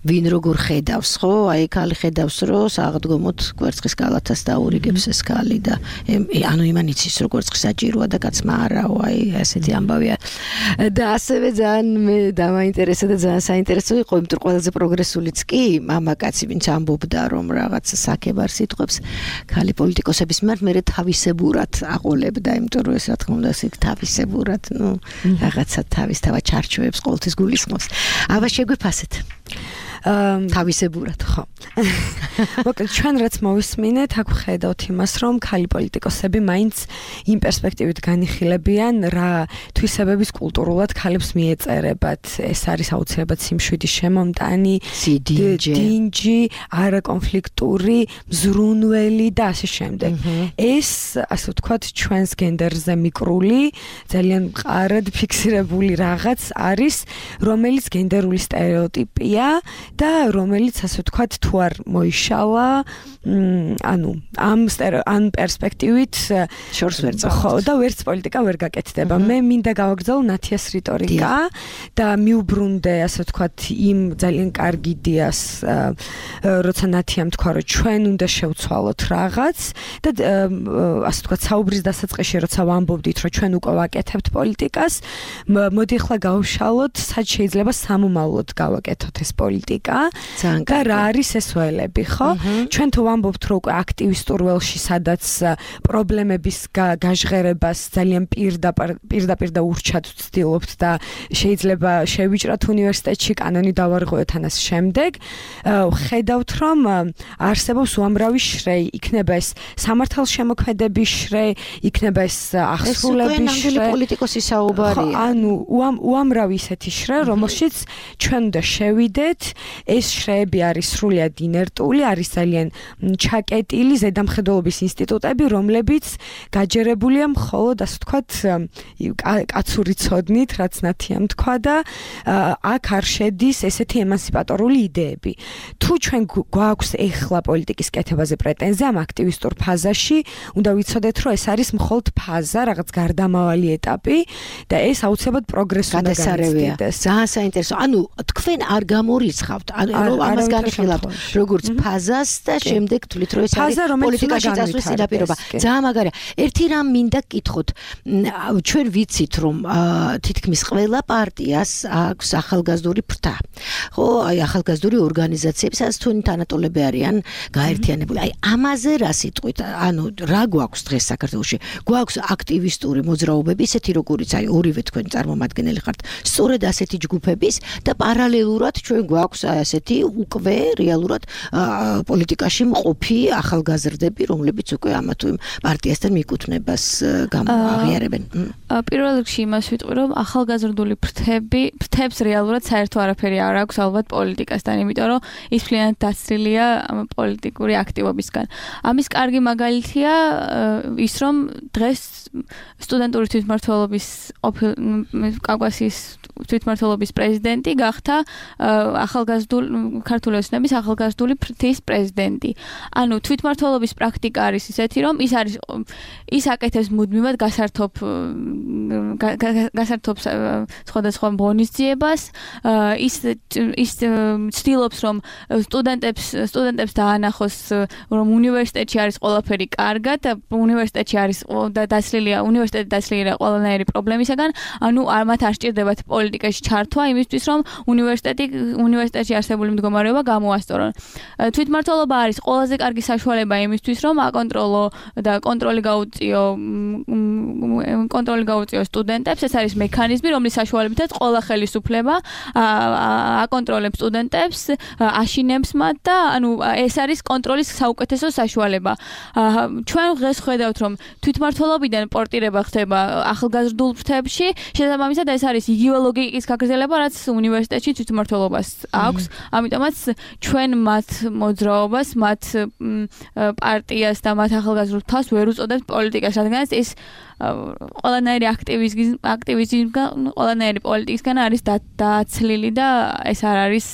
ვინ როგორ ხედავს, ხო? აი ქალი ხედავს, რომ საღდგომოთ კვერცხის გალათას დაურიგებს ეს ქალი და ანუ იმან იცის რომ კვერცხი საჭიროა და კაცმა არაო, აი ესეთი ამბავია. და ასევე ძალიან მე დამაინტერესა და ძალიან საინტერესო იყო, იმიტომ რომ ყველაზე პროგრესულიც კი მამაკაცი ვინც ამბობდა რომ რაღაც საქებარ სიტყვებს ქალი პოლიტიკოსების მიმართ მე თავისებურად აყოლებდა, იმიტომ რომ ეს რა თქმა უნდა ისე თავისებურად, ნუ რაღაცა თავისთავად ჩარჩოებს ყოველთვის გულისხმობს. აბა შეგვიფასეთ. თავისებურად ხო. მოკლედ ჩვენ რაც მოვისმინეთ, აქ ხედავთ იმას, რომ ქალი პოლიტიკოსები მაინც იმ პერსპექტივით განიხილებიან, რა თვისებების კულტურულად ქალებს მიეწერებათ. ეს არის აუცილებლად სიმშვიდის შემომტანი, დინჯი, არაკონფლიქტური, მზრუნველი და ასე შემდეგ. ეს, ასე ვთქვათ, ჩვენს გენდერზე მიკრული, ძალიან მყარად ფიქსირებული რაღაც არის, რომელიც გენდერული სტერეოტიპია. და რომელიც ასე ვთქვათ თუ არ მოიშალა, ანუ ამ პერსპექტივით შორს ვერ წავალ. ხო, და ვერც პოლიტიკა ვერ გაკეთდება. მე მინდა გავაგრძელო ნათიას რიტორიკა და მიუბრუნდე, ასე ვთქვათ, იმ ძალიან კარგი იდეას, როცა ნათიამ თქვა, რომ ჩვენ უნდა შევცვალოთ რაღაც და ასე ვთქვათ, საუბრის დასაწყისში როცა ვამბობდით, რომ ჩვენ უკვე ვაკეთებთ პოლიტიკას, მოდი ახლა გავშალოთ, სად შეიძლება სამომავლოდ გავაკეთოთ ეს პოლიტიკა. და რა არის ეს ველები, ხო? ჩვენ თუ ვამბობთ, რომ უკვე აქტივისტურ ველში, სადაც პრობლემების გაჟღერებას ძალიან პირდაპირ და ურჩად ვცდილობთ და შეიძლება შევიჭრათ უნივერსიტეტში, კანონი დავარღვევთ ამას შემდეგ, ხედავთ, რომ არსებობს უამრავი შრეი, იქნება ეს სამართალშემოქმედების შრეი, იქნება ეს აღსრულების შრეი, პოლიტიკოსის საუბარია. ანუ უამრავი ისეთი შრე, რომელშიც ჩვენ უნდა შევიდეთ. ეს შრეები არის სრულიად ინერტული, არის ძალიან ჩაკეტილი ზედამხედველობის ინსტიტუტები, რომლებიც გაჯერებულია მხოლოდ, ასე ვთქვათ, კაცური ცოდნით, რაც ნათიამ თქვა და აქ არ შედის ესეთი ემანსიპატორული იდეები. თუ ჩვენ გვაქვს ეხლა პოლიტიკის კეთებაზე პრეტენზია ამ აქტივისტურ ფაზაში, უნდა ვიცოდეთ, რომ ეს არის მხოლოდ ფაზა, რაღაც გარდამავალი ეტაპი და ეს აუცილებლად პროგრესს უნდა განიცდიდეს. ძალიან საინტერესო. ანუ თქვენ არ გამორიცხავთ, რომ ამას განიხილავთ როგორც ფაზას და შემდეგ თვლით, რომ ეს არის პოლიტიკაში წასვლის პირობა. ძალიან მაგარია. ერთი რამ მინდა გკითხოთ. ჩვენ ვიცით, რომ თითქმის ყველა პარტიას აქვს ახალგაზრდული ფრთა. ხო, აი ახალგაზრდული ორგანიზაციები, სადაც თქვენი თანატოლები არიან გაერთიანებული. აი ამაზე რა სიტყვით? ანუ რა გვაქვს დღეს საქართველოში? გვაქვს აქტივისტური მოძრაობები, ისეთი როგორიც აი ორივე თქვენ წარმომადგენელი ხართ, სწორედ ასეთი ჯგუფების და პარალელურად ჩვენ გვაქვს ასეთი უკვე რეალურად პოლიტიკაში მყოფი ახალგაზრდები, რომლებიც უკვე ამა თუ იმ პარტიასთან მიკუთვნებას აღიარებენ. პირველ რიგში იმას ვიტყვი, რომ ახალგაზრდული ფრთებს რეალურად საერთო არაფერი არ აქვს ალბათ პოლიტიკასთან, იმიტომ რომ ის მთლიანად დაცლილია პოლიტიკური აქტივობისგან. ამის კარგი მაგალითია ის, რომ დღეს სტუდენტური თვითმმართველობის კავკასიის თვითმმართველობის პრეზიდენტი გახდა ქართული ოცნების ახალგაზრდული ფრთის პრეზიდენტი. ანუ თვითმმართველობის პრაქტიკა არის ისეთი, რომ ის აკეთებს მუდმივად გასართობს სხვადასხვა ღონისძიებას, ის ცდილობს, რომ სტუდენტებს დაანახოს, რომ უნივერსიტეტში არის ყველაფერი კარგად, უნივერსიტეტში არის უნივერსიტეტი დაცლილია ყველანაირი პრობლემისაგან, ანუ მათ არ სჭირდებათ პოლიტიკაში ჩართვა იმისთვის, რომ უნივერსიტეტში წელიწადში არსებული მდგომარეობა გამოასწორონ. თვითმმართველობა არის ყველაზე კარგი საშუალება იმისთვის, რომ აკონტროლო და კონტროლი გაუწიო სტუდენტებს. ეს არის მექანიზმი, რომლის საშუალებითაც ყველა ხელისუფლება აკონტროლებს სტუდენტებს, აშინებს მათ და ეს არის კონტროლის საუკეთესო საშუალება. ჩვენ დღეს ხედავთ, რომ თვითმმართველობიდან პორტირება ხდება ახალგაზრდულ ფრთებში, შესაბამისად ეს არის იგივე ლოგიკის გაგრძელება, რაც უნივერსიტეტში თვითმმართველობას აქვს. ამიტომაც ჩვენ მათ მოძრაობას, მათ პარტიას და მათ ახალგაზრდულ თავს ვერ უწოდებთ პოლიტიკას, რადგანაც ეს ყველანაირი აქტივიზმიდან, ყველანაირი პოლიტიკისგან არის დაცლილი და ეს არ არის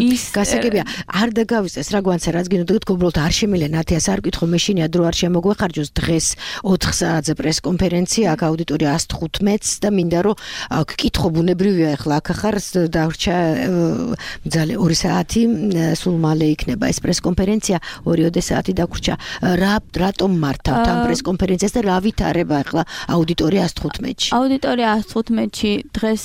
ის გასაგებია. არ დაგავიწყეს რა გვანცა, რაც გინდოდეთ, უბრალოდ არ შემიძლია ნათიას არ ვკითხო, მე შინია დრო არ შემოგვეხარჯოს დღეს 4 საათზე პრესკონფერენცია, აქ აუდიტორია 115-ს და მინდა რომ გკითხო ბუნებრივია ახლა აქ ახარ დარჩა ძალე 2 საათი, სულ მალე იქნება ეს პრესკონფერენცია, 2 საათი დაგვრჩა. რატომ მართავთ ამ პრესკონფერენციას და რა ვითარება ახლა აუდიტორია 115-ში? აუდიტორია 115-ში დღეს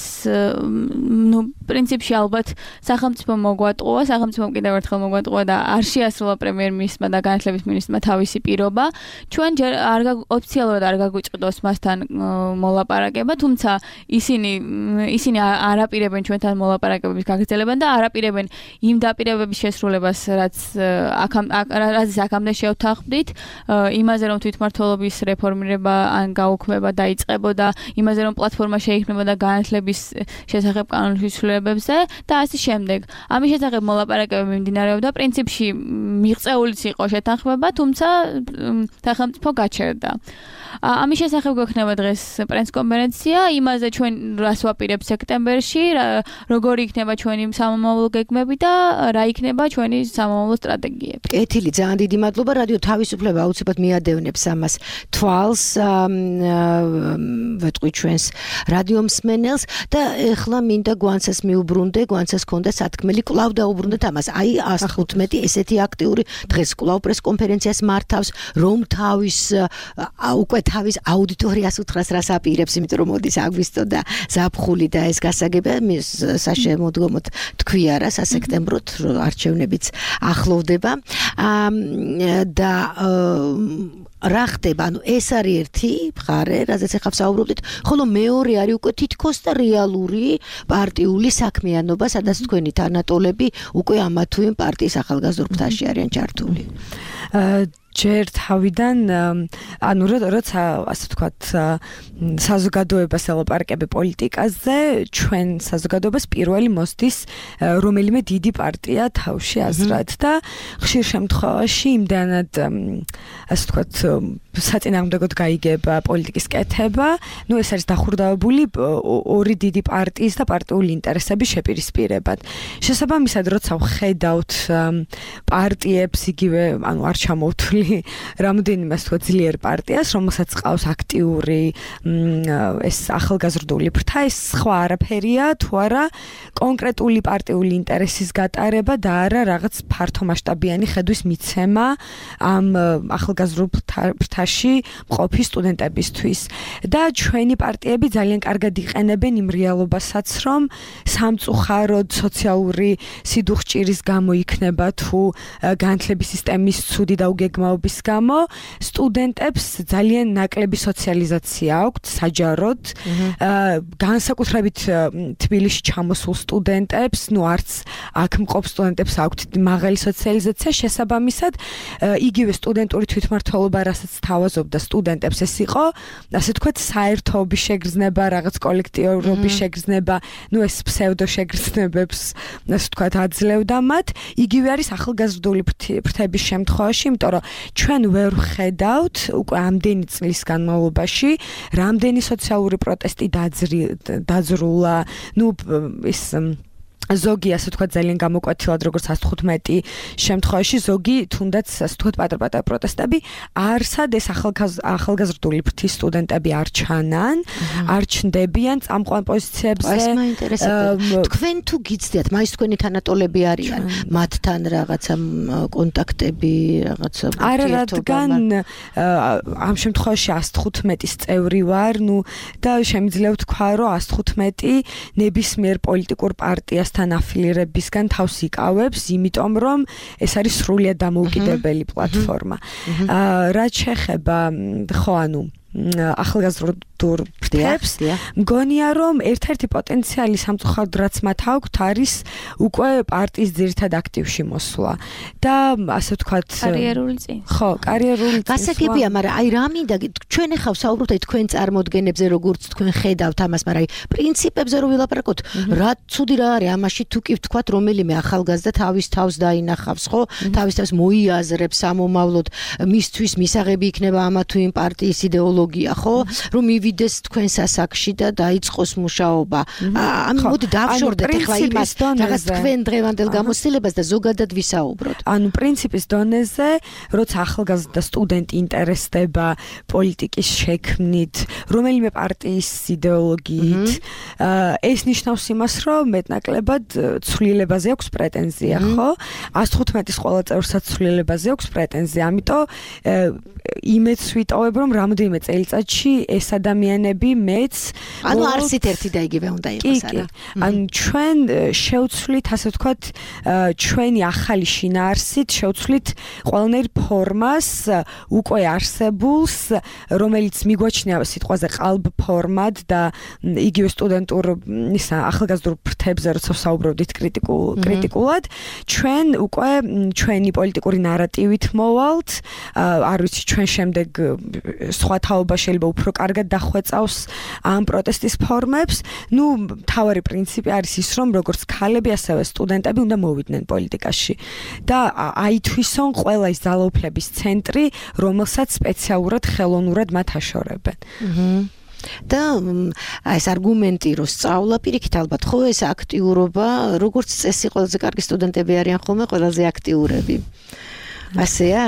პრინციპში ალბათ სახელმწიფო მოგვატყუა, სახელმწიფომ კიდევ ერთხელ მოგვატყუა და არ შეასრულა პრემიერ-მინისტრმა და განათლების მინისტრმა თავისი პირობა. ჩვენ ჯერ ოფიციალურად არ გაგვიწყდოს მასთან მოლაპარაკება, თუმცა ისინი არაპირებენ ჩვენთან მოლაპარაკებების გაგრძელებან და არაპირებენ იმ დაპირებების შესრულებას, რაც აქამდე შევთანხმდით, იმაზე რომ თვითმმართველობის რეფორმირება ან გაუქმება დაიწყებოდა, იმაზე რომ პლატფორმა შეიქმნებოდა განათლების შესახებ კანონის ცვლილებებზე და ასე შემდეგ. ამის შესახებ მოლაპარაკებები მიმდინარეობდა, პრინციპში მიღწეულიც იყო შეთანხმება, თუმცა სახელმწიფო გაჩერდა. ამის შესახებ გვექნება დღეს პრესკონფერენცია, იმაზე ჩვენ რას ვაპირებთ სექტემბერში, როგორი იქნება ჩვენი სამომავლო გეგმები და რა იქნება ჩვენი სამომავლო სტრატეგიები. კეთილი, ძალიან დიდი მადლობა. რადიო თავისუფლება აუცილებლად მიადევნებს ამას თვალს, ვეტყვი ჩვენს რადიო მსმენელს და ეხლა მინდა გვანცას მიუბრუნდე, გვანცას ქონდა სათქმელი, კვლავ დაუბრუნდეთ ამას. აი 115 ესეთი აქტიური დღეს კვლავ პრესკონფერენციას მართავს, რომ უკვე თავის აუდიტორიას უთხრას რას აპირებს, იმიტომ რომ მოდის აგვისტო და ზაფხული და ეს გასაგებია საშემოდგომოდ თქვია რა სასექტემბროდ არჩევნებიც ახლოვდება და რა ხდება, ეს არის ერთი მხარე, რაზეც ახლა ვსაუბრობდით, ხოლო მეორე არის უკვე თითქოს და რეალური პარტიული საქმიანობა, სადაც თქვენი თანატოლები უკვე ამა თუ იმ პარტიის ახალგაზრდულ ფრთაში არიან ჩართული. ჯერ თავიდან როცა ასე ვთქვათ საზოგადოებას ელაპარაკები პოლიტიკაზე, ჩვენ საზოგადოებას პირველი მოსდის რომელიმე დიდი პარტია თავში აზრად და ხშირ შემთხვევაში იმდანად ასე ვთქვათ საწინააღმდეგოდ გაიგება პოლიტიკის კეთება, ეს არის დახურდებული ორი დიდი პარტიის და პარტიული ინტერესების შეპირისპირებად. შესაბამისად, როცა ვხედავთ პარტიებს იგივე, არ ჩამოვთვლი რამდენიმე ასე ძლიერ პარტიას, რომელსაც ყავს აქტიური ეს ახალგაზრდული ფრთა, ეს სხვა არაფერია, თუ არა კონკრეტული პარტიული ინტერესის გატარება და არა რაღაც ფართომასშტაბიანი ხედვის მიცემა ამ ახალგაზრდულ ფრთაში მყოფი სტუდენტებისთვის. და ჩვენი პარტიები ძალიან კარგად იყენებენ იმ რეალობასაც, რომ სამწუხაროდ სოციალური სიდუხჭირის გამო იქნება თუ განათლების სისტემის ცუდი დაუგეგმაობის გამო სტუდენტებს ძალიან ნაკლები სოციალიზაცია აქვთ საჯაროდ, განსაკუთრებით თბილისში ჩამოსულ სტუდენტებს, არც აქ მყოფ სტუდენტებს აქვთ მაღალი სოციალიზაცია, შესაბამისად იგივე სტუდენტური თვითმმართველობა, რასაც თავაზობდა სტუდენტებს, ეს იყო, ასე ვთქვათ, საერთოობის შეგრძნება, რაღაც კოლექტივობის შეგრძნება, ეს ფსევდო შეგრძნებებს, ასე ვთქვათ, აძლევდა მათ. იგივე არის ახალგაზრდული ფრთების შემთხვევაში, იმიტომ რომ ჩვენ ვერ ვხედავთ უკვე ამდენი წლის განმავლობაში, რამდენი სოციალური პროტესტი დაძრულა, ის ზოგი ასე ვთქვათ ძალიან გამოკვეთილად როგორც 115 შემთხვევაში ზოგი თუნდაც ასე ვთქვათ პატარ-პატარ პროტესტები არსად ეს ახალგაზრდული ფრთის სტუდენტები არ ჩანან, არ ჩნდებიან წამყვან პოზიციებზე. ეს მაინტერესებდა. თქვენ თუ გიცდიათ, მაინც თქვენი თანატოლები არიან, მათთან რაღაცა კონტაქტები, რაღაცა არა, რადგან ამ შემთხვევაში 115-ის წევრი ვარ, და შემიძლია ვთქვა, რომ 115 ნებისმიერ პოლიტიკურ პარტიას პარტიასთან აფილირებისგან თავს იკავებს, იმიტომ რომ ეს არის სრულიად დამოუკიდებელი პლატფორმა. რაც შეეხება ხო ანუ ახალგაზრდულ ფრთებს მგონია რომ ერთ-ერთი პოტენციალი სამწუხაროდ რაც მათ აქვთ არის უკვე პარტიის ძირითად აქტივში მოსვლა და ასე ვთქვათ კარიერული წინ ხო კარიერული წინ გასაგებია მაგრამ აი რა მინდა ჩვენ ახლა ვსაუბრობთ აი თქვენ წარმოდგენებზე როგორც თქვენ ხედავთ ამას მაგრამ აი პრინციპებზე რო ვილაპარაკოთ რა ცუდი რა არის ამაში თუ კი ვთქვათ რომელიმე ახალგაზრდა თავის თავს დაინახავს ხო თავის თავს მოიაზრებს ამომავლოდ მისთვის მისაღები იქნება ამა თუ იმ პარტიის იდეოლოგია ხო რომ მივიდეს თქვენ სასაკში და დაიწყოს მუშაობა. ანუ მოდი დავშორდეთ ახლა იმას რაღაც თქვენ დღევანდელ გამოცდილებას და ზოგადად ვისაუბროთ. ანუ პრინციპის დონეზე, როცა ახალგაზრდა სტუდენტი ინტერესდება პოლიტიკის შექმნით, რომელიმე პარტიის იდეოლოგიით, ეს ნიშნავს იმას, რომ მეტნაკლებად ცვლილებაზე აქვს პრეტენზია, ხო? 115-ის ყველა წევრსაც ცვლილებაზე აქვს პრეტენზია, ამიტომ იმეც ვიტოვებ, რომ რამდენიმე წელიწადში ეს ადამიანები მეც ანუ არსით ერთი და იგივე უნდა იყოს არა ანუ ჩვენ შევცვლით ასე ვთქვათ ჩვენი ახალი შინაარსით შევცვლით ყველანაირ ფორმას უკვე არსებულს რომელიც მიგვაჩნია სიტყვაზე ყალბ ფორმად და იგივე სტუდენტურ ისა ახალგაზრდულ ფრთებზე როცა ვსაუბრობდით კრიტიკულად ჩვენ უკვე ჩვენი პოლიტიკური ნარატივით მოვალთ არ ვიცი ჩვენ შემდეგ სხვა თაობა შეიძლება უფრო კარგად დახვეწავს ამ პროტესტის ფორმებს. ნუ მთავარი პრინციპი არის ის, რომ როგორც ქალები, ასევე სტუდენტები უნდა მოვიდნენ პოლიტიკაში. და აითვისონ ყველა ის ძალაუფლების ცენტრი, რომელსაც სპეციალურად ხელოვნურად მათ აშორებენ. და ეს არგუმენტი რო სწავლა პირიქით ალბათ ხო ეს აქტიურობა როგორც წესი ყველაზე კარგი სტუდენტები არიან ხოლმე ყველაზე აქტიურები. ასეა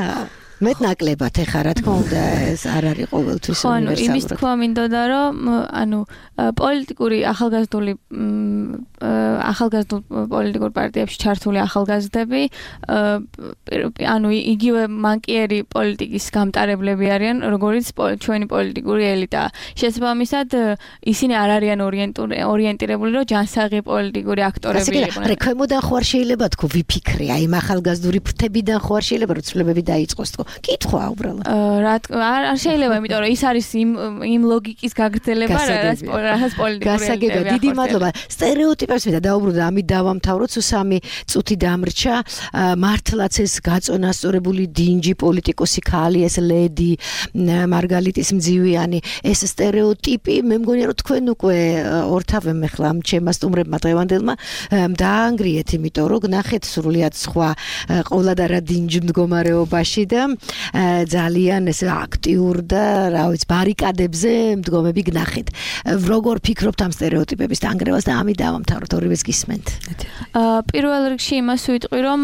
მეტნაკლებად ეხა რა თქმა უნდა ეს არ არის ყოველთვის უნივერსალური. ხო, იმის თქვა მინდოდა რომ ანუ პოლიტიკური ახალგაზრდული პოლიტიკურ პარტიებში ჩართული ახალგაზრდები ანუ იგივე მანკიერი პოლიტიკის გამტარებლები არიან როგორც ჩვენი პოლიტიკური ელიტა. შესაბამისად ისინი არ არიან ორიენტირებული რომ ჯანსაღი პოლიტიკური აქტორები იყვნენ. რექვემოდან ხო არ შეიძლება თქო ვიფიქრე აი ამ ახალგაზრდული ფრთებიდან ხო არ შეიძლება რომ ცვლილებები დაიწყოს თქო კითხვა უბრალოდ. არ შეიძლება, იმიტომ რომ ის არის იმ ლოგიკის გაგრძელება, რაც პოლიტიკური გასაგებია. დიდი მადლობა. სტერეოტიპებს მინდა დაუბრუნდე, ამით დავამთავროთ, სულ 3 წუთი დამრჩა. მართლაც ეს გაწონასწორებული დინჯი პოლიტიკოსი ქალი, ეს ლედი მარგალიტის მძივიანი, ეს სტერეოტიპი, მე მგონია რომ თქვენ უკვე ორთავემ ახლა ამ ჩემმა სტუმრებმა დღევანდელმა დაანგრიეთ, იმიტომ რომ გნახეთ სრულიად სხვა ყოველდღიურ დინჯ მდგომარეობაში და ძალიან ეს აქტიურ და რა ვიცი ბარიკადებზე მდგომები გნახეთ. როგორ ფიქრობთ ამ სტერეოტიპების დანგრევას და ამით დავამთავროთ ორივეს გისმენთ. პირველ რიგში იმას ვიტყვი რომ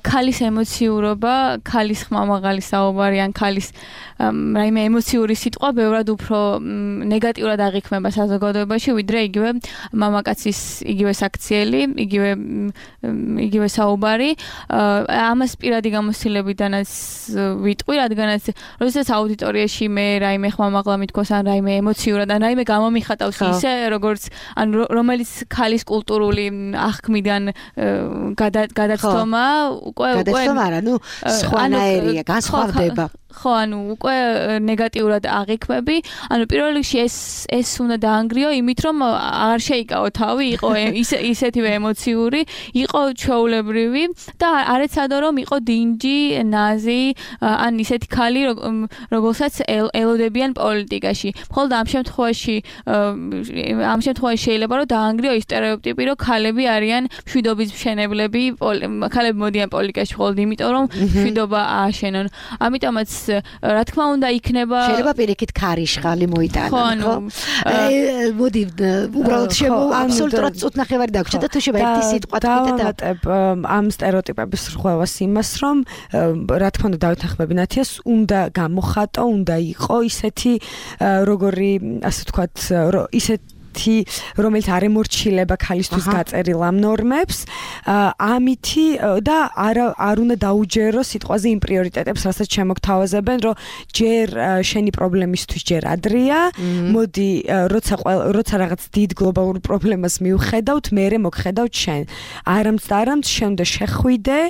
ქალის ემოციურობა, ქალის ხმამაღალი საუბარი ან ქალის რაიმე ემოციური სიტყვა ბევრად უფრო ნეგატიურად აღიქმება საზოგადოებაში ვიდრე იგივე მამაკაცის იგივე საქციელი, იგივე საუბარი. ამას პირადი გამოცდილებიდანაც ვიტყვი, რადგანაც როდესაც აუდიტორიაში მე რაიმე ხმამაღლა მithქოს ან რაიმე ემოციურად ან რაიმე გამომიხატავს ისე როგორც ან რომელიც ქალის კულტურული აღქმიდან გადაცდომა უკვე გადაცდომა არა, ნუ სხვანაირია, განსხვავდება. ხო, ანუ უკვე ნეგატიურად აღიქმები. ანუ პირველ რიგში ეს უნდა დაანგრიო იმით, რომ არ შეიკავო თავი, იყო ისეთივე ემოციური, იყო ჩვეულებრივი და არ ეცადო რომ იყო დინჯი, ნაზი, ან ისეთი ქალი, რომელსაც ელოდებიან პოლიტიკაში. მხოლოდ ამ შემთხვევაში შეიძლება რომ დაანგრიო ის სტერეოტიპი, რომ ქალები არიან მშვიდობის მშენებლები, ქალები მოდიან პოლიტიკაში მხოლოდ იმიტომ, რომ მშვიდობა ააშენონ. ამიტომაც რა თქმა უნდა იქნება შეიძლება პირიქით ქარიშხალი მოიტანა ხო? მოდი უბრალოდ აბსოლუტურად წუთნახევარი დაგვრჩა და თუ შეიძლება ერთი სიტყვა დავამატებ ამ სტერეოტიპების რღვევას იმას, რომ რა თქმა უნდა დავითანხმები ნათიას უნდა გამოხატო, უნდა იყო ისეთი როგორი ასე ვთქვათ ისეთი ერთი რომელიც არ ემორჩილება ქალისთვის გაწერილ ამ ნორმებს ამითი და არ უნდა დაუჯერო სიტყვაზე იმ პრიორიტეტებს რასაც შემოგთავაზებენ რომ ჯერ შენი პრობლემისთვის ჯერ ადრეა მოდი როცა რაღაც დიდ გლობალურ პრობლემას მივხედავთ მერე მოგხედავთ შენ არამც შენ უნდა შეხვიდე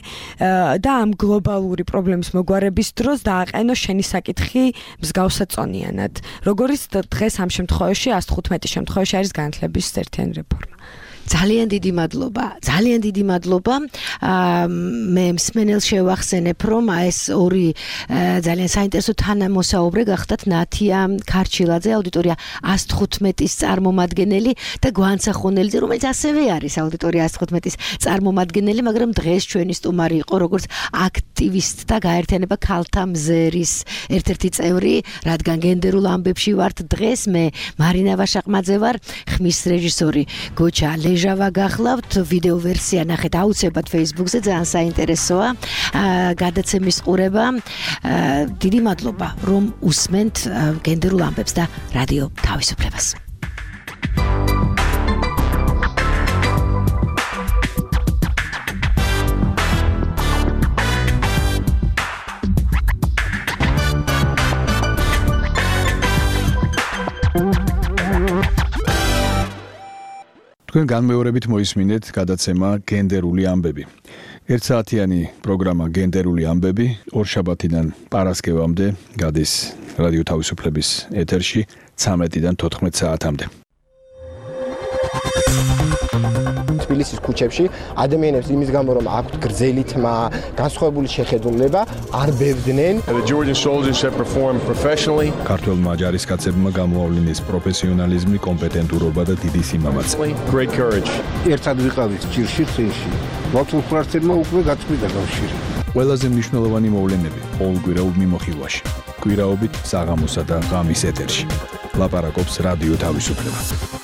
და ამ გლობალური პრობლემის მოგვარების დროს დააყენო შენი საკითხი მსგავსაწონიანად როგორც დღეს ამ შემთხვევაში 115 შემთხვევაში არის განათლების ერთიანი რეფორმა ძალიან დიდი მადლობა მე მსმენელს შევახსენებ რომ ეს ორი ძალიან საინტერესო თანამოსაუბრე გახდათ ნათია ქარჩილაძე აუდიტორია 115-ის წარმომადგენელი და გვანცა ხონელიძე რომელიც ასევე არის აუდიტორია 115-ის წარმომადგენელი მაგრამ დღეს ჩვენი სტუმარი იყო როგორც აქტივისტთა გაერთიანება ქალთა მზერის ერთ-ერთი წევრი რადგან გენდერულ ამბებში ვართ დღეს მე მარინა ვაშაყმაძე ვარ ხმის რეჟისორი გოჩა ჟავა გახლავთ ვიდეო ვერსია ნახეთ აუცილებლად Facebook-ზე ძალიან საინტერესოა გადაცემის ყურება დიდი მადლობა რომ უსმენთ გენდერულ ამბებს და რადიო თავისუფლებას თქვენ განმეორებით მოისმინეთ გადაცემა გენდერული ამბები. ერთსაათიანი პროგრამა გენდერული ამბები ორშაბათიდან პარასკევამდე გადის რადიო თავისუფლების ეთერში 13-დან 14 საათამდე. თბილისის ქუჩებში ადამიანებს იმის გამო რომ აქვთ გრძელი თმა, განსხვავებული შეხედულება, არ ბევდნენ. The Georgian soldiers have performed professionally. ქართველმა ჯარისკაცებმა გამოავლინეს პროფესიონალიზმი, კომპეტენტურობა და დიდი სიმამაცე. Great courage. ერთად ვიყავით ჭირში წინში. მათულ ფრთებმა უკვე გაწყვიტა კავშირი. ყველაზე მნიშვნელოვანი მოვლენები ყოველკვირეულ მიმოხილვაში. კვირაობით საღამოსა და ღამის ეთერში. ლაპარაკობს რადიო თავისუფლება.